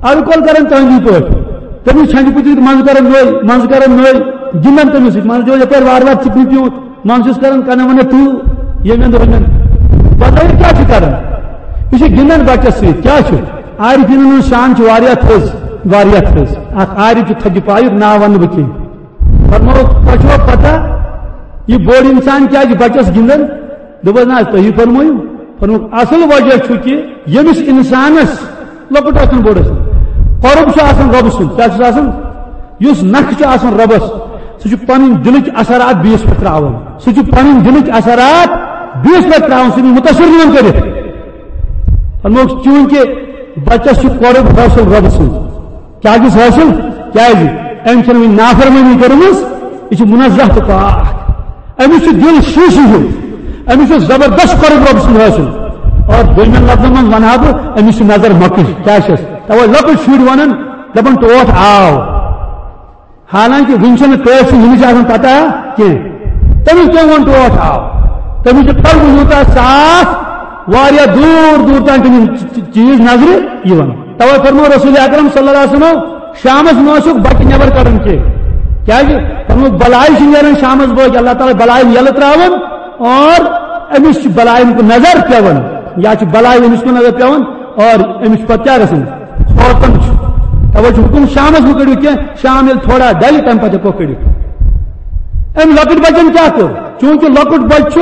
اَڑٕ کول کَران تُہٕنٛدی پٲٹھۍ۔ تٔمِس چھَنجہِ پُترِ منٛزٕ کَران نٔے، منٛزٕ کَران نٔے، گِنٛدان تٔمِس سۭتۍ۔ منٛزٕ دِوان یَپٲرۍ وارٕ وارٕ ژِپنہِ پیوٗنٛت، منٛزٕ چھُس کَران کَنَن وَنان ٹوٗ، ییٚمہِ اَندٕ ہُمہِ اَندٕ۔ پَتہٕ یہِ کیٛاہ چھُ کَران؟ یہِ چھُ گِنٛدان بَچَس سۭتۍ۔ کیٛاہ چھُ؟ عارفیٖنَن ہٕنٛز شان چھِ واریاہ تھٔز، واریاہ تھٔز۔ اَکھ عارف چھُ تھدِ پایُک، ناو وَنہٕ بہٕ کینٛہہ۔ فرمووُکھ، تۄہہِ چھُوا پتہ، یہِ بوٚڑ انسان کیازِ بچس گِنٛدان؟ دوٚپُس، نہ، تُہی فرمٲیِو۔ فرمووُکھ، اصل وجہ چھُ کہِ ییٚمِس انسانس، لۄکُٹ ٲسِن بوٚڑ ٲسِن، قرب چھُ آسان رۄبہٕ سُنٛد۔ کیٛاہ چھُس آسان؟ یُس نکھٕ چھُ آسان رۄبس، سُہ چھُ پنٕنۍ دِلٕکۍ اثرات بیٚیِس پٮ۪ٹھ ترٛاوان۔ سُہ چھُ پنٕنۍ دِلٕکۍ اثرات بیٚیِس پٮ۪ٹھ ترٛاوان، سُہ چھُ مُتٲثر یِوان کٔرِتھ۔ فرمووُکھ، چوٗنٛکہِ بچس چھُ قرب حٲصِل رۄبہٕ سُنٛد۔ کیٛاہ گژھِ حٲصِل؟ کیٛازِ؟ أمۍ چھَنہٕ وٕنہِ نافرمٲنی کٔرمٕژ، یہِ چھِ منزہ تہٕ پاک۔ أمِس چھُ دِل شیٖشہٕ ہیوٗ، أمِس چھُ زبردست قرب رۄب سُنٛد حٲصِل۔ اور دوٚیمٮ۪ن لفظن منٛز وَنہٕ ہا بہٕ، أمِس چھِ نظر مۄکٕج۔ کیٛاہ چھَس؟ تَوَے لۄکٕٹۍ شُرۍ وَنان، دَپان، "ٹوٹھ آو۔" حالانکہ وٕنہِ چھَنہٕ کٲنٛسہِ ہُمِچ آسان پتہ کینٛہہ۔ تٔمِس کیٛاہ ووٚن، ٹوٹھ آو؟ تٔمِس چھُ قلب یوٗتاہ صاف، واریاہ دوٗر دوٗر تام تٔمِس چ-، چ-، چیٖز نظرِ یِوان۔ توے فرمو رسول اکرم صلی اللہ علیہ وسلم، شامس مہ ٲسِو بچہِ نٮ۪بر کڑان کینٛہہ۔ کیازِ؟ فرمووُکھ، بلاے چھِ نیران شامس بٲگۍ، اللہ تعالیٰ بلاے یَلہٕ تراوان اور أمِس چھِ بلاے کُن نظر پٮ۪وان، یا چھِ بلاے أمِس کُن نظر پٮ۪وان اور أمِس چھُ پتہٕ کیٛاہ گژھان؟ کھوژان چھُ۔ توے چھُ حُکُم، شامس مہ کٔڑِو کینٛہہ، شام ییٚلہِ تھوڑا ڈلہِ، تمہِ پتہٕ ہٮ۪کو کٔڑِتھ۔ أمۍ لۄکٕٹۍ بچن کیٛاہ کوٚر؟ چوٗنٛکہِ لۄکُٹ بچہِ چھُ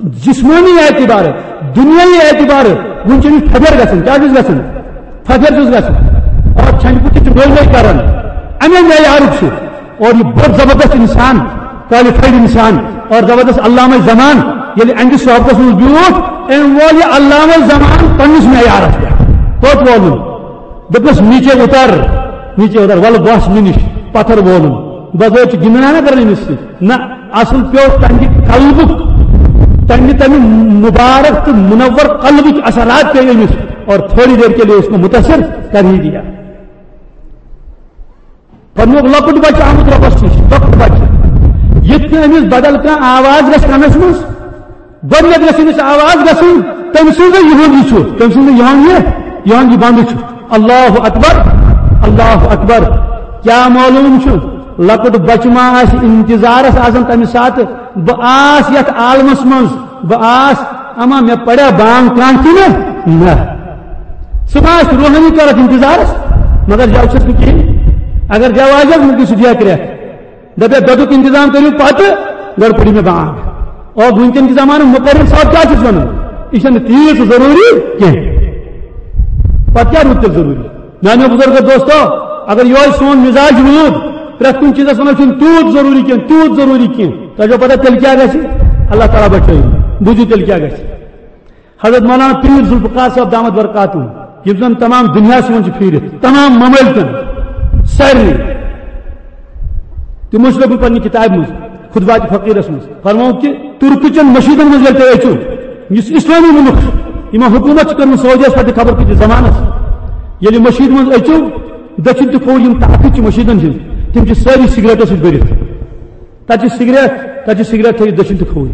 جسمٲنی اعتبارٕ، دُنیٲیی اعتبارٕ وُنہِ چھُ أمِس پھۄپھر گژھان۔ کیٛاہ چھُس گژھان؟ پھۄپھر چھُس گژھان۔ اور چھَنجہِ پُترِ چھُ نٔے نٔے کران۔ اَمے معیارُک چھُ۔ اور یہِ بوٚڑ زبردست اِنسان، qualified اِنسان اور زبردست علامہ زمان ییٚلہِ اَہنٛدِس صحبتس منٛز بیوٗٹھ، أمۍ وول یہِ علامہ زمان پننِس معیارس پٮ۪ٹھ۔ توٚت وولُن۔ دوٚپنَس، "نیچے اتر، نیچے اتر، وَلہٕ بَس مےٚ نِش۔" پتھر وولُن۔ بغٲر چھُ گِنٛدنا نہ کران أمِس سۭتۍ۔ نہ، اصل پیوٚو تَمہِ قلبُک، تَمہِ، تَمہِ مُبارک تہٕ مُنور قلبٕکۍ اثرات پیٚیہِ أمِس اور تھوڑی دیر کے لیے اس کو متاثر کر ہی دیا۔ فرمووُکھ، لۄکُٹ بچہٕ آمُت رۄبَس نِش، لۄکُٹ بچہٕ۔ یِتھ کٔنۍ أمِس بدل کانٛہہ آواز گژھِ کَنَس منٛز، گۄڈٕنٮ۪تھ گژھِ أمِس آواز گژھٕنۍ، تٔمۍ سٕنٛزٕے یِہُنٛد یہِ چھُ، تٔمۍ سٕنٛزٕے یِہُنٛد یہِ، یِہُنٛد یہِ بنٛدٕ چھُ۔ اللہ اکبر، اللہ اکبر۔ کیٛاہ معلوم چھُ، لۄکُٹ بچہٕ ما آسہِ انتظارس آسان تَمہِ ساتہٕ، بہٕ آس یَتھ عالمس منٛز، بہٕ آس، اما مےٚ پریا بانگ کانٛہہ کِنہٕ نہ؟ سُہ ما آسہِ روحٲنی طرف انتظارس؟ مگر جاو چھُس نہٕ کِہیٖنۍ۔ اگر جاو آسہِ، وۄنۍ گٔژھِو دیا کرٛٮ۪کھ۔ دپیا، دۄدُک انتظام کٔرِو پتہٕ، گۄڈٕ پٔرِو مےٚ بانگ۔ اور وٕنکٮ۪ن کہِ زمانہٕ مقرر صٲب کیٛاہ چھُس ونان؟ یہِ چھَنہٕ تیٖژ ضروٗری کینٛہہ۔ پتہٕ کیٛاہ روٗد تیٚلہِ ضروٗری؟ میانیو بزرگو دوستو، اگر یِہوٚے سون مزاج روٗد، پرٛٮ۪تھ کُنہِ چیٖزس ونو چھُنہٕ تیوٗت ضروٗری کینٛہہ، تیوٗت ضروٗری کینٛہہ، تۄہہِ چھو پتہ تیٚلہِ کیٛاہ گژھِ؟ اللہ تعالیٰ بچٲیِن۔ بوٗزِو تیٚلہِ کیٛاہ گژھِ۔ حضرت مولانا پیٖر ذوالفقار صٲب دامت برکاتہم، یِم زن تمام دُنیاہس منٛز چھِ پھیٖرِتھ، تمام ممٲلکن، سارنٕے، تِمو چھُ لیوٗکھمُت پننہِ کِتابہِ منٛز، خطبات فقیرس منٛز، فرمووُکھ کہِ تُرکہٕ چٮ۪ن مٔشیٖدن منٛز ییٚلہِ تُہۍ أژِو، یُس اِسلٲمی مُلُک، یِمو حکوٗمت چھِ کٔرمٕژ سعودیس پٮ۪ٹھ خبر کۭتِس زمانس، ییٚلہِ مٔشیٖد منٛز أژِو، دٔچھِنۍ تہٕ کھووُر یِم تاخت چھِ مٔشیٖدن ہٕنٛدۍ، تِم چھِ سٲری سگریٹو سۭتۍ بٔرِتھ۔ تَتہِ چھِ سگریٹ، تَتہِ چھِ سگریٹ تھٲوِتھ دٔچھِنۍ تہٕ کھووُر۔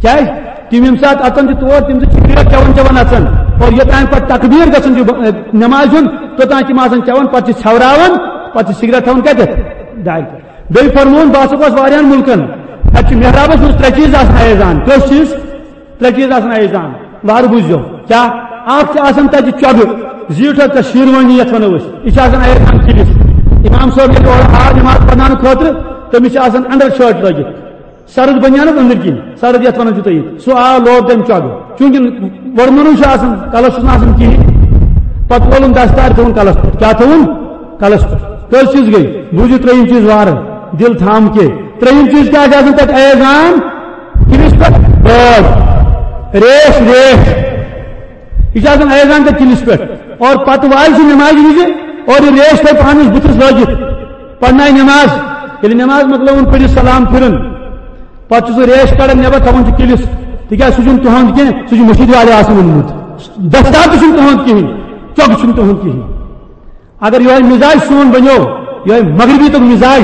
کیٛازِ؟ تِم ییٚمہِ ساتہٕ اَژان چھِ تور، تِم چھِ سگریٹ چٮ۪وان چٮ۪وان اَژان۔ اور یوٚتام پَتہٕ تکبیٖر گژھان چھُ، اے، نٮ۪مازِ ہُنٛد، توٚتام چھِ یِم آسان چٮ۪وان، پَتہٕ چھِ ژھٮ۪وراوان، پَتہٕ چھِ سگریٹ تھاوان کَتٮ۪تھ؟ دارِ پٮ۪ٹھ۔ بیٚیہِ فرمووُن، بہٕ ہسا گوس واریاہَن مُلکَن، اَتہِ چھِ محرابَس منٛز ترٛےٚ چیٖز آسان ایزان۔ کٔژ چیٖز؟ ترٛےٚ چیٖز آسان ایزان۔ وارٕ بوٗزِو۔ کیٛاہ؟ اَکھ چھِ آسان تَتہِ چۄگہٕ، زیٖٹھ حظ تَتھ شیروانی یَتھ وَنو أسۍ۔ یہِ چھِ آسان ایزان کِلِس۔ اِمام صٲب ییٚلہِ اورٕ آو نٮ۪ماز پَرناونہٕ خٲطرٕ، تٔمِس چھِ آسان اَنڈَر شٲٹ لٲگِتھ۔ سرد بنیانس أنٛدٕرۍ کِنۍ، سرد یَتھ وَنان چھُ تُہۍ۔ سُہ آو لوگ تَمہِ چۄگہٕ۔ چوٗنٛکہِ وۄرمُنٕے چھُ آسان، کَلَس چھُس نہٕ آسان کِہیٖنۍ۔ پَتہٕ وولُن دَستار، تھوٚوُن کَلَس پٮ۪ٹھ۔ کیٛاہ تھوٚوُن؟ کَلَس پٮ۪ٹھ۔ کٔژ چیٖز گٔے؟ بوٗزِو ترٛیٚیِم چیٖز وارٕ۔ دِل تھام کے۔ ترٛیٚیِم چیٖز کیٛاہ چھُ آسان تَتہِ؟ ایزان، کِلِس پٮ۪ٹھ بٲڈ، ریش، ریش۔ یہِ چھُ آسان ایزان تہٕ کِلِس پٮ۪ٹھ۔ اور پتہٕ والہِ سُہ نمازِ وِزِ اور یہِ ریش تھاوِ پانَس بُتھِس لٲگِتھ، پرنایہِ نماز۔ ییٚلہِ نماز مۄکلٲوٕن، پٔرِتھ سلام پھِرُن، پتہٕ چھُ سُہ ریش کڑان نٮ۪بر، تھاوان چھُ کِلِس، تِکیٛازِ سُہ چھُنہٕ تُہُنٛد کینٛہہ، سُہ چھُ مٔشیٖد والٮ۪و آسان اوٚنمُت۔ دستار تہِ چھُنہٕ تُہُنٛد کِہیٖنۍ، چۄکہٕ چھُنہٕ تُہُنٛد کِہیٖنۍ۔ اگر یِہوٚے مِزاج سون بنیو، یِہوٚے مغربی تُک مِزاج،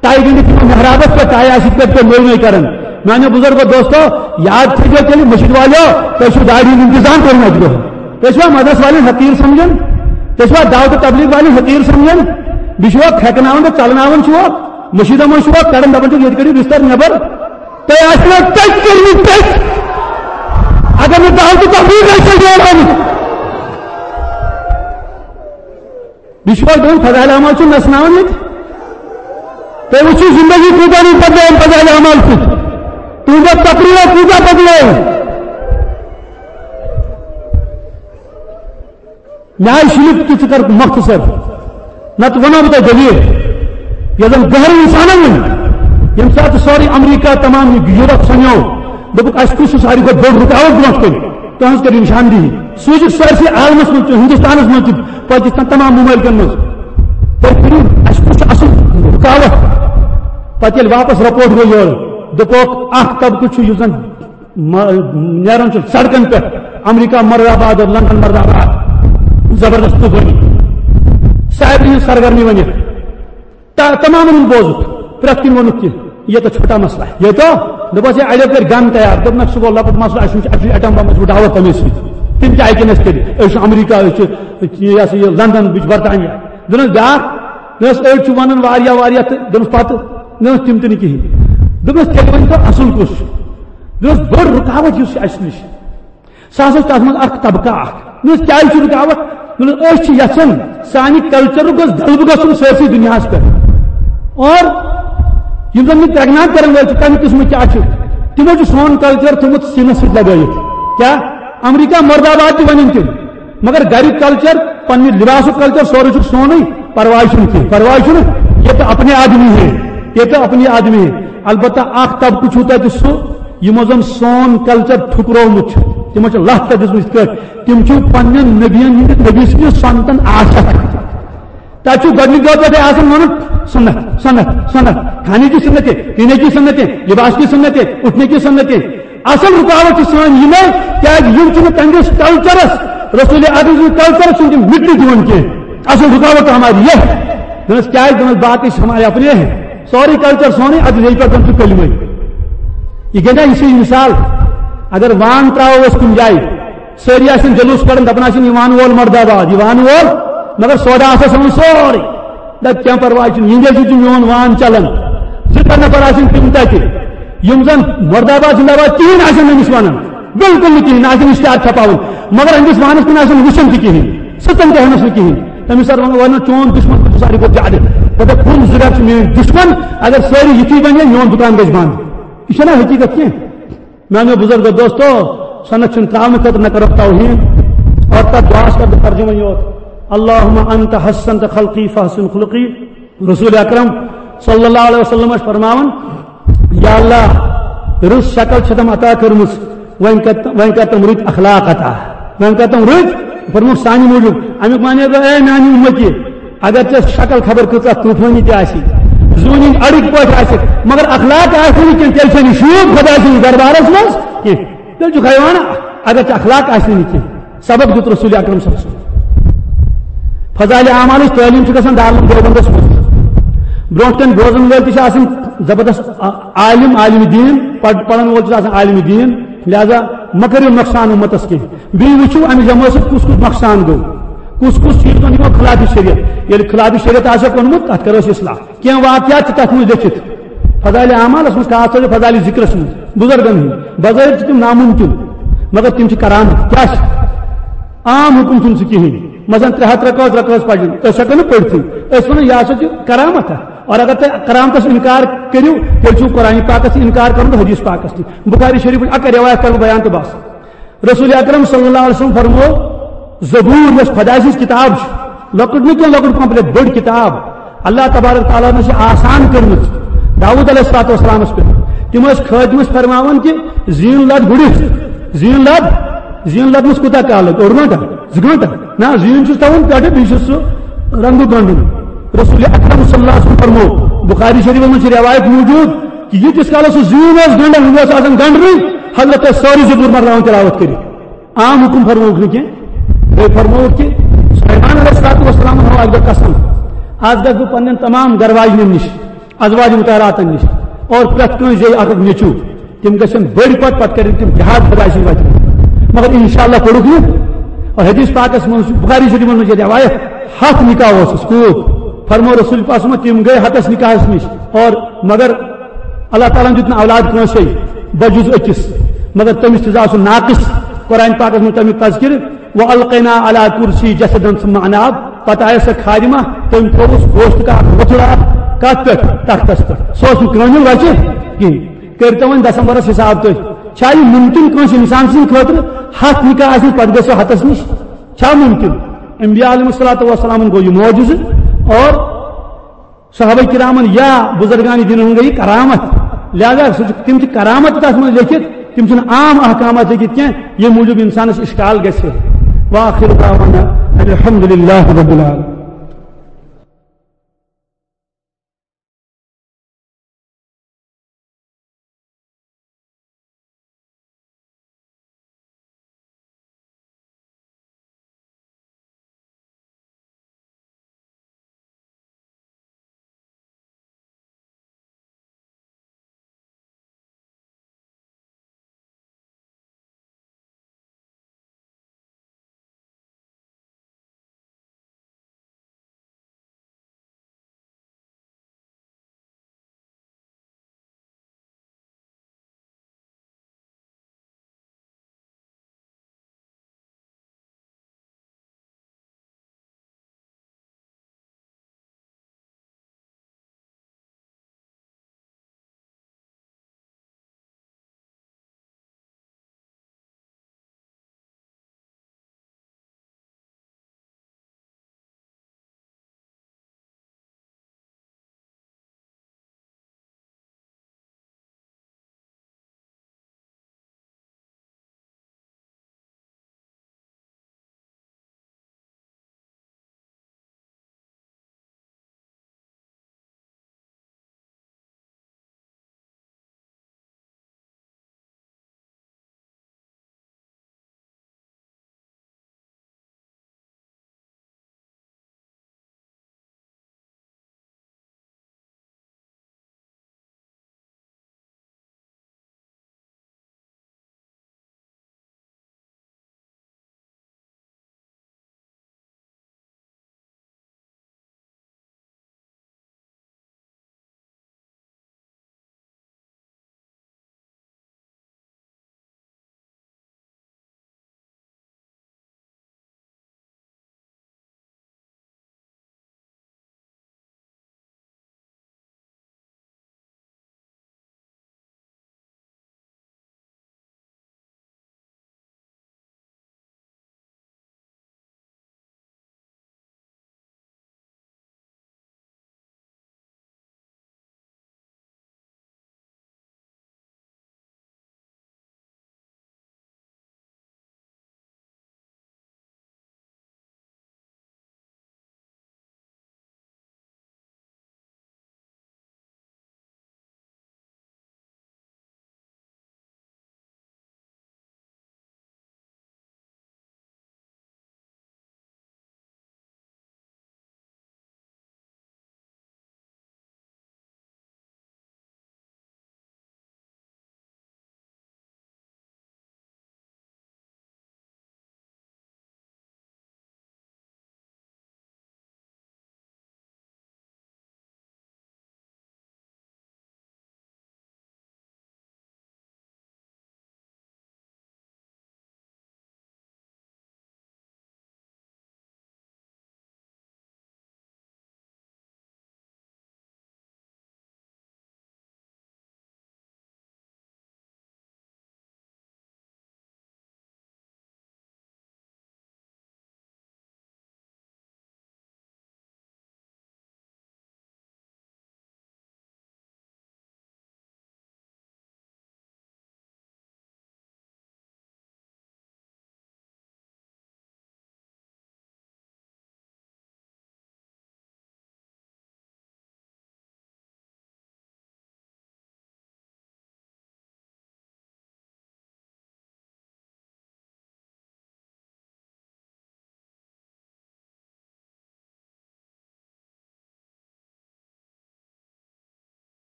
تَے گٔنٛڈِتھ یِمو محرابس پٮ۪ٹھ، تَے آسہِ یِتھ پٲٹھۍ تُہۍ نٔوۍ نٔوۍ کران۔ میٛانیو بُزرگو دوستو، یاد تھٲیزیو تیٚلہِ مٔشیٖد والٮ۪و، تۄہہِ چھُو داڑھی ہُنٛد انتظام کوٚرمُت اَتہِ دۄہَن۔ تُہۍ چھِوا مدرس والٮ۪ن حقیٖر سمجھان؟ تُہۍ چھِوا دعوت و تبلیغ والٮ۪ن حقیٖر سمجھان؟ بیٚیہِ چھِوا کھٮ۪کناوان تہٕ ژلناوان چھِوا؟ مٔشیٖدو منٛز چھِوا کڑان، دَپان چھِکھ، "ییٚتہِ کٔڑِو بستر نٮ۪بر"؟ تۄہہِ آسہِ نا تٔتۍ کٔرمٕتۍ تٔتۍ۔ اگر نہٕ دعوت و تبلیغ آسہِ ہے نیران۔ بیٚیہِ چھُوا دَپان فضائل اعمال چھُ نژناوان ییٚتہِ؟ تُہۍ وٕچھِو زندگی کوٗتاہ نہٕ بدلٲوٕن فضائل اعمال سۭتۍ۔ تُہنٛدیو تقریٖرو کوٗتاہ بدلٲوٕن۔ مےٚ آیہِ شِلِتھ کہِ ژٕ کر مۄختصر، نتہٕ ونو بہٕ تۄہہِ دٔلیٖل۔ یۄس زن گہرٕ انسانن ؤنۍ، ییٚمہِ ساتہٕ سورُے امریکہ، تمام یورپ سنیو، دوٚپُکھ، "اسہِ کُس چھُ ساروی کھۄتہٕ بوٚڑ رُکاوٹ برونٛٹھ کَنہِ؟ تُہنٛز کٔرِو نشاندہی۔" سوٗزِکھ سٲرسٕے عالمس منٛز تہِ، ہندوستانس منٛز تہِ، پٲکستان، تمام ممٲلکن منٛز۔ تُہۍ کٔرِو، اسہِ کُس چھُ اصل رُکاوٹ؟ پتہٕ ییٚلہِ واپس رپورٹ گوٚو یورٕ، دوٚپُکھ، اکھ طبقہٕ چھُ یُس زن م-، نیران چھُ سڑکن پٮ۪ٹھ، امریکہ مردہ باد اور لندن مردہ باد، زبردست طوفانی، سارنٕے ہٕنٛز سرگرمی ؤنِتھ۔ تا-، تمامن ہُنٛد بوزُکھ، پرٛٮ۪تھ کُنہِ ووٚنُکھ کہِ یہِ تو چھوٹا مسئلہ ہے، یہِ تو، دوٚپُس، ہے، اَڑیو کٔرۍ گن تیار، دوٚپنَکھ، سُہ گوٚو لۄکُٹ مسئلہ، اَسہِ وٕچھ، اَسہِ وٕچھ ایٹم بم، اَسہِ وٕچھ ڈاوَر تَمے سۭتۍ۔ تِم کیٛاہ ہیٚکن اَسہِ کٔرِتھ؟ أسۍ چھِ امریکہ، أسۍ چھِ، یہِ ہسا یہِ لندن، بہٕ چھُس برطانیہ۔ دوٚپنَس بیٛاکھ، دوٚپنَس، أڑۍ چھِ وَنان واریاہ واریاہ تہٕ دوٚپنَس پَتہٕ، دوٚپنَس تِم تہِ نہٕ کِہیٖنۍ۔ دوٚپنَس، تیٚلہِ ؤنۍ تو اَصٕل کُس چھُ؟ دوٚپنَس، بٔڑ رُکاوَٹ یُس چھِ اَسہِ نِش، سُہ ہسا چھُ تَتھ منٛز اَکھ طبقہٕ اَکھ۔ دوٚپنَس، کیٛازِ چھُ رُکاوَٹ؟ دوٚپنَس، أسۍ چھِ یَژھان سانہِ کلچرُک گوٚژھ غلبہٕ گژھُن سٲرسٕے دُنیاہَس پٮ۪ٹھ۔ اور یِم زَن یہِ پرٛٮ۪گناٹ کَرَن وٲلۍ چھِ، تَمہِ قٕسمٕکۍ کیٛاہ چھِ؟ تِمو چھُ سون کلچر تھوٚمُت سیٖنَس سۭتۍ لَگٲیِتھ۔ کیٛاہ؟ امریکہ مردہ باد تہِ وَنن تِم، مگر گَریُک کلچر، پننہِ لباسُک کلچر، سورُے چھُ سونُے، پرواے چھُنہٕ کینٛہہ، پرواے چھُنہٕ، یہ تو اپنے آدمی ہے، یہ تو اپنے آدمی ہے۔ البتہ اکھ طبقہٕ چھُ تَتہِ سُہ، یِمو زَن سون کلچر ٹھُکرومُت چھُ، تِمو چھِ لَتھ تَتھ دِژمٕژ یِتھ کٲٹھۍ، تِم چھِ پننٮ۪ن نبیَن ہٕنٛدِ، نبی سٕنٛدِ سنتن عاشق۔ تَتہِ چھُ گۄڈٕنِکۍ دۄہ پٮ۪ٹھَے آسان وَنُن، سُنت، سُنت، سُنت، کھانے کی سُنت ہے، پینے کی سُنت ہے، لباس کی سُنت ہے، اٹھنے کی سُنت ہے۔ اصل رُکاوٹ چھِ سٲنۍ یِمے، کیازِ یِم چھِنہٕ تہنٛدِس کلچرس، رسول اکرم سٕنٛدِس کلچرس چھِنہٕ تِم مِٹنہٕ دِوان کینٛہہ۔ اصل رُکاوٹ ہماری یہ ہے۔ دوٚپنَس، کیازِ؟ دوٚپنَس، باقٕے چھِ ہمارے اپنے ہیں۔ سورُے کلچر سونُے، ادٕ ییٚتہِ پٮ۪ٹھ زن چھُ کلمے۔ یہِ گٔے نا یِژھٕے مثال۔ اگر وان ترٛاوو أسۍ کُنہِ جایہِ، سٲری آسن جلوس کڑان، دپان آسن، "یہِ وان وول مردہ باد، یہِ وان وول"، مگر سوڈا آسس یِمن سورُے۔ دپ، "کینٛہہ پرواے چھُنہٕ، یِہنٛدِ سۭتۍ چھُ میون وان چلان۔" زٕ ترٛےٚ نفر آسن تِم تتہِ، یِم زن مردہ باد، زندہ باد کِہیٖنۍ آسن نہٕ أمِس ونان، بالکل نہٕ کِہیٖنۍ، نہ آسن اشتہار چھپاوان، مگر أمِس وانس کُن آسن وٕچھان تہِ کِہیٖنۍ، سٕژن تہِ ہٮ۪نس نہٕ کِہیٖنۍ۔ تٔمِس سر ونان، "ونان چون دشمن چھُ ساروی کھۄتہٕ زیادٕ۔" دپان، "کُن زٕ گرِ چھُ میٲنۍ دشمن، اگر سٲری یِتھی بنہِ، میون دُکان گژھِ بنٛد۔" یہِ چھےٚ نہ حقیٖقت کینٛہہ؟ میانیو بزرگو دوستو، سنت چھُنہٕ ترٛاونہٕ خٲطرٕ نہ کرو توہین، اور تتھ دعاہس کرٕ بہٕ ترجمہ یوت، "اللہم انت حسنت خلقی فحسن خلقی۔" رسول اکرم صلی اللہ علیہ وسلم ٲسۍ فرماوان، "یا اللہ، رٕژ شکل چھِ تم عطا کٔرمٕژ، وۄنۍ کر، وۄنۍ کر تم رٕتۍ اخلاق عطا، وۄنۍ کر تم رٕتۍ۔" فرمووُکھ سانہِ موٗجوٗب۔ امیُک معنی گوٚو، اے میانہِ اُمتی، اگر ژےٚ شکل خبر کۭژاہ طوفٲنی تہِ آسہِ، زوٗنِنۍ اڑٕکۍ پٲٹھۍ آسہِ، مگر اخلاق آسہِ نہٕ کینٛہہ، تیٚلہِ چھَنہٕ شوٗب خۄداے سٕنٛدِس دربارس منٛز کینٛہہ۔ تیٚلہِ چھُکھ حیوان، اگر ژےٚ اخلاق آسہِ نہٕ کینٛہہ۔ سبق دیُت رسول اکرم صلی اللہ علیہ وسلم۔ فضائل اعمالٕچ تعلیٖم چھِ گژھان دارالعلوم دیوبندس منٛز۔ برونٛٹھ کَنہِ بوزن وٲلۍ تہِ چھِ آسان زبردست عالم، عالم دین، پڑ-، پرن وول چھُ آسان عالم دین۔ لہذا مہ کٔرِو نۄقصان اُمتس کینٛہہ۔ بیٚیہِ وٕچھِو، اَمہِ جمٲژ سۭتۍ کُس کُس نۄقصان گوٚو، کُس کُس چیٖز بنیو خلاف شریعت۔ ییٚلہِ خلاف شریعت آسہِ کوٚرمُت، تَتھ کَرو أسۍ اصلاح۔ کینٛہہ واقعات چھِ تَتھ منٛز لیٚکھِتھ۔ فضائل اعمالس منٛز، خاص طور فضائل ذکرس منٛز، بزرگن ہٕنٛدۍ بظٲہر چھِ تِم ناممکن، مگر تِم چھِ کرامت۔ کیٛاہ چھِ؟ عام حُکم چھُنہٕ سُہ کِہیٖنۍ۔ مثلاً، ترٛےٚ ہتھ رکٲژ، رکٲژ پَرٕنۍ، أسۍ ہٮ۪کو نہٕ پٔرِتھٕے۔ أسۍ وَنو، یہِ ہسا چھُ کرامت اکھ۔ اور اگر تُہۍ کرامتس انکار کٔرِو، تیٚلہِ چھُو قرآن پاکس تہِ انکار کرُن تہٕ حدیث پاکس تہِ۔ بخاری شریفٕچ اکھ رِوایت کرٕ بہٕ بیان تہٕ بس۔ رسول اکرم صلی اللہ علیہ وسلم فرمو، زبور یۄس خۄداے سٕنٛز کِتاب چھِ، لۄکٕٹ نہٕ کینٛہہ، لۄکٕٹ پہم، بٔڑ کِتاب، اللہ تبارک تعالیٰ ہن چھِ آسان کٔرمٕژ۔ داؤد علیہ الصلوۃ والسلامس پٮ۪ٹھ۔ تِم ٲسۍ خٲدمس فرماوان کہِ زیٖن لد گُرِس، زیٖن لد، زیٖن لدنس کوٗتاہ کال لگہِ؟ اوٚڑ گٲنٹہٕ، زٕ گٲنٹہٕ؟ نہ، زیٖن چھُس تھاوُن پٮ۪ٹھٕ، بیٚیہِ چھُس سُہ رنٛگہٕ گنٛڈُن۔ رسول اکرم صلی اللہ علیہ وسلم فرموو، بخاری شریفس منٛز چھِ روایت موجود کہِ ییٖتِس کالس سُہ زیٖن اوس گنٛڈان، یہِ اوس آسان گنٛڈنٕے، حضرت ٲسۍ سٲرٕے زٕ بُر مۄکلاوان تلاوت کٔرِتھ۔ عام حکم فرمووُکھ نہٕ کینٛہہ، بیٚیہِ فرمووُکھ کہِ سلیمان علیہ الصلوۃ والسلام ہو اکھ دۄہ قسم، از گژھٕ بہٕ پننٮ۪ن تمام گرٕ واجنٮ۪ن نِش، ازواج مطہراتن نِش، اور پرٛٮ۪تھ کٲنٛسہِ زیٚیہِ اکھ اکھ نیٚچوٗ، تِم گژھن بٔڑۍ پتہٕ، پتہٕ کرن تِم جہاد خۄداے سٕنٛدِ وتہِ۔ مگر انشاءاللہ پوٚرُکھ نہٕ۔ اور حدیث پاکس منٛز چھُ، بخاری شریفس منٛز چھِ روایت، ہتھ نکاح اوسُس، کوٗت؟ فرموو رسول پاکس منٛز، تِم گٔے ہتس نکاحس نِش، اور مگر اللہ تعالیٰ ہن دیُت نہٕ اولاد کٲنٛسے، بجُز أکِس، مگر تٔمِس تہِ زاو سُہ ناقص۔ قرآن پاکس منٛز تمیُک تذکرٕ، "وَأَلْقَيْنَا عَلَى كُرْسِيِّهِ جَسَدًا ثُمَّ أَنَابَ"، پتہٕ آیس سۄ خادمہ، تٔمۍ تھووُس گوشت کا وۄتھڑا، کتھ پٮ۪ٹھ؟ تختس پٮ۪ٹھ۔ سُہ اوس نہٕ کٲمل وچہِ کِہیٖنۍ۔ کٔرۍتو وۄنۍ دسمبرس حساب تُہۍ، چھا یہِ مُمکِن کٲنٛسہِ انسان سٕنٛدِ خٲطرٕ ہتھ نکاح آسہِ پتہٕ گژھِ سۄ ہتس نِش؟ چھا مُمکِن؟ انبیاء علیہ الصلوۃ والسلام گوٚو یہِ معجزٕ، اور صحابہ کرامن یا بزرگان دین ہُنٛد گٔے یہِ کرامت، لہذا سُہ چھُ، تِم چھِ کرامت تتھ منٛز لیکھِتھ، تِم چھِنہٕ عام احکامات لیکھِتھ کینٛہہ، ییٚمہِ موٗجوٗب انسانس اشکال گژھِ۔ وآخر دعوانا ان الحمد للہ رب العالمین۔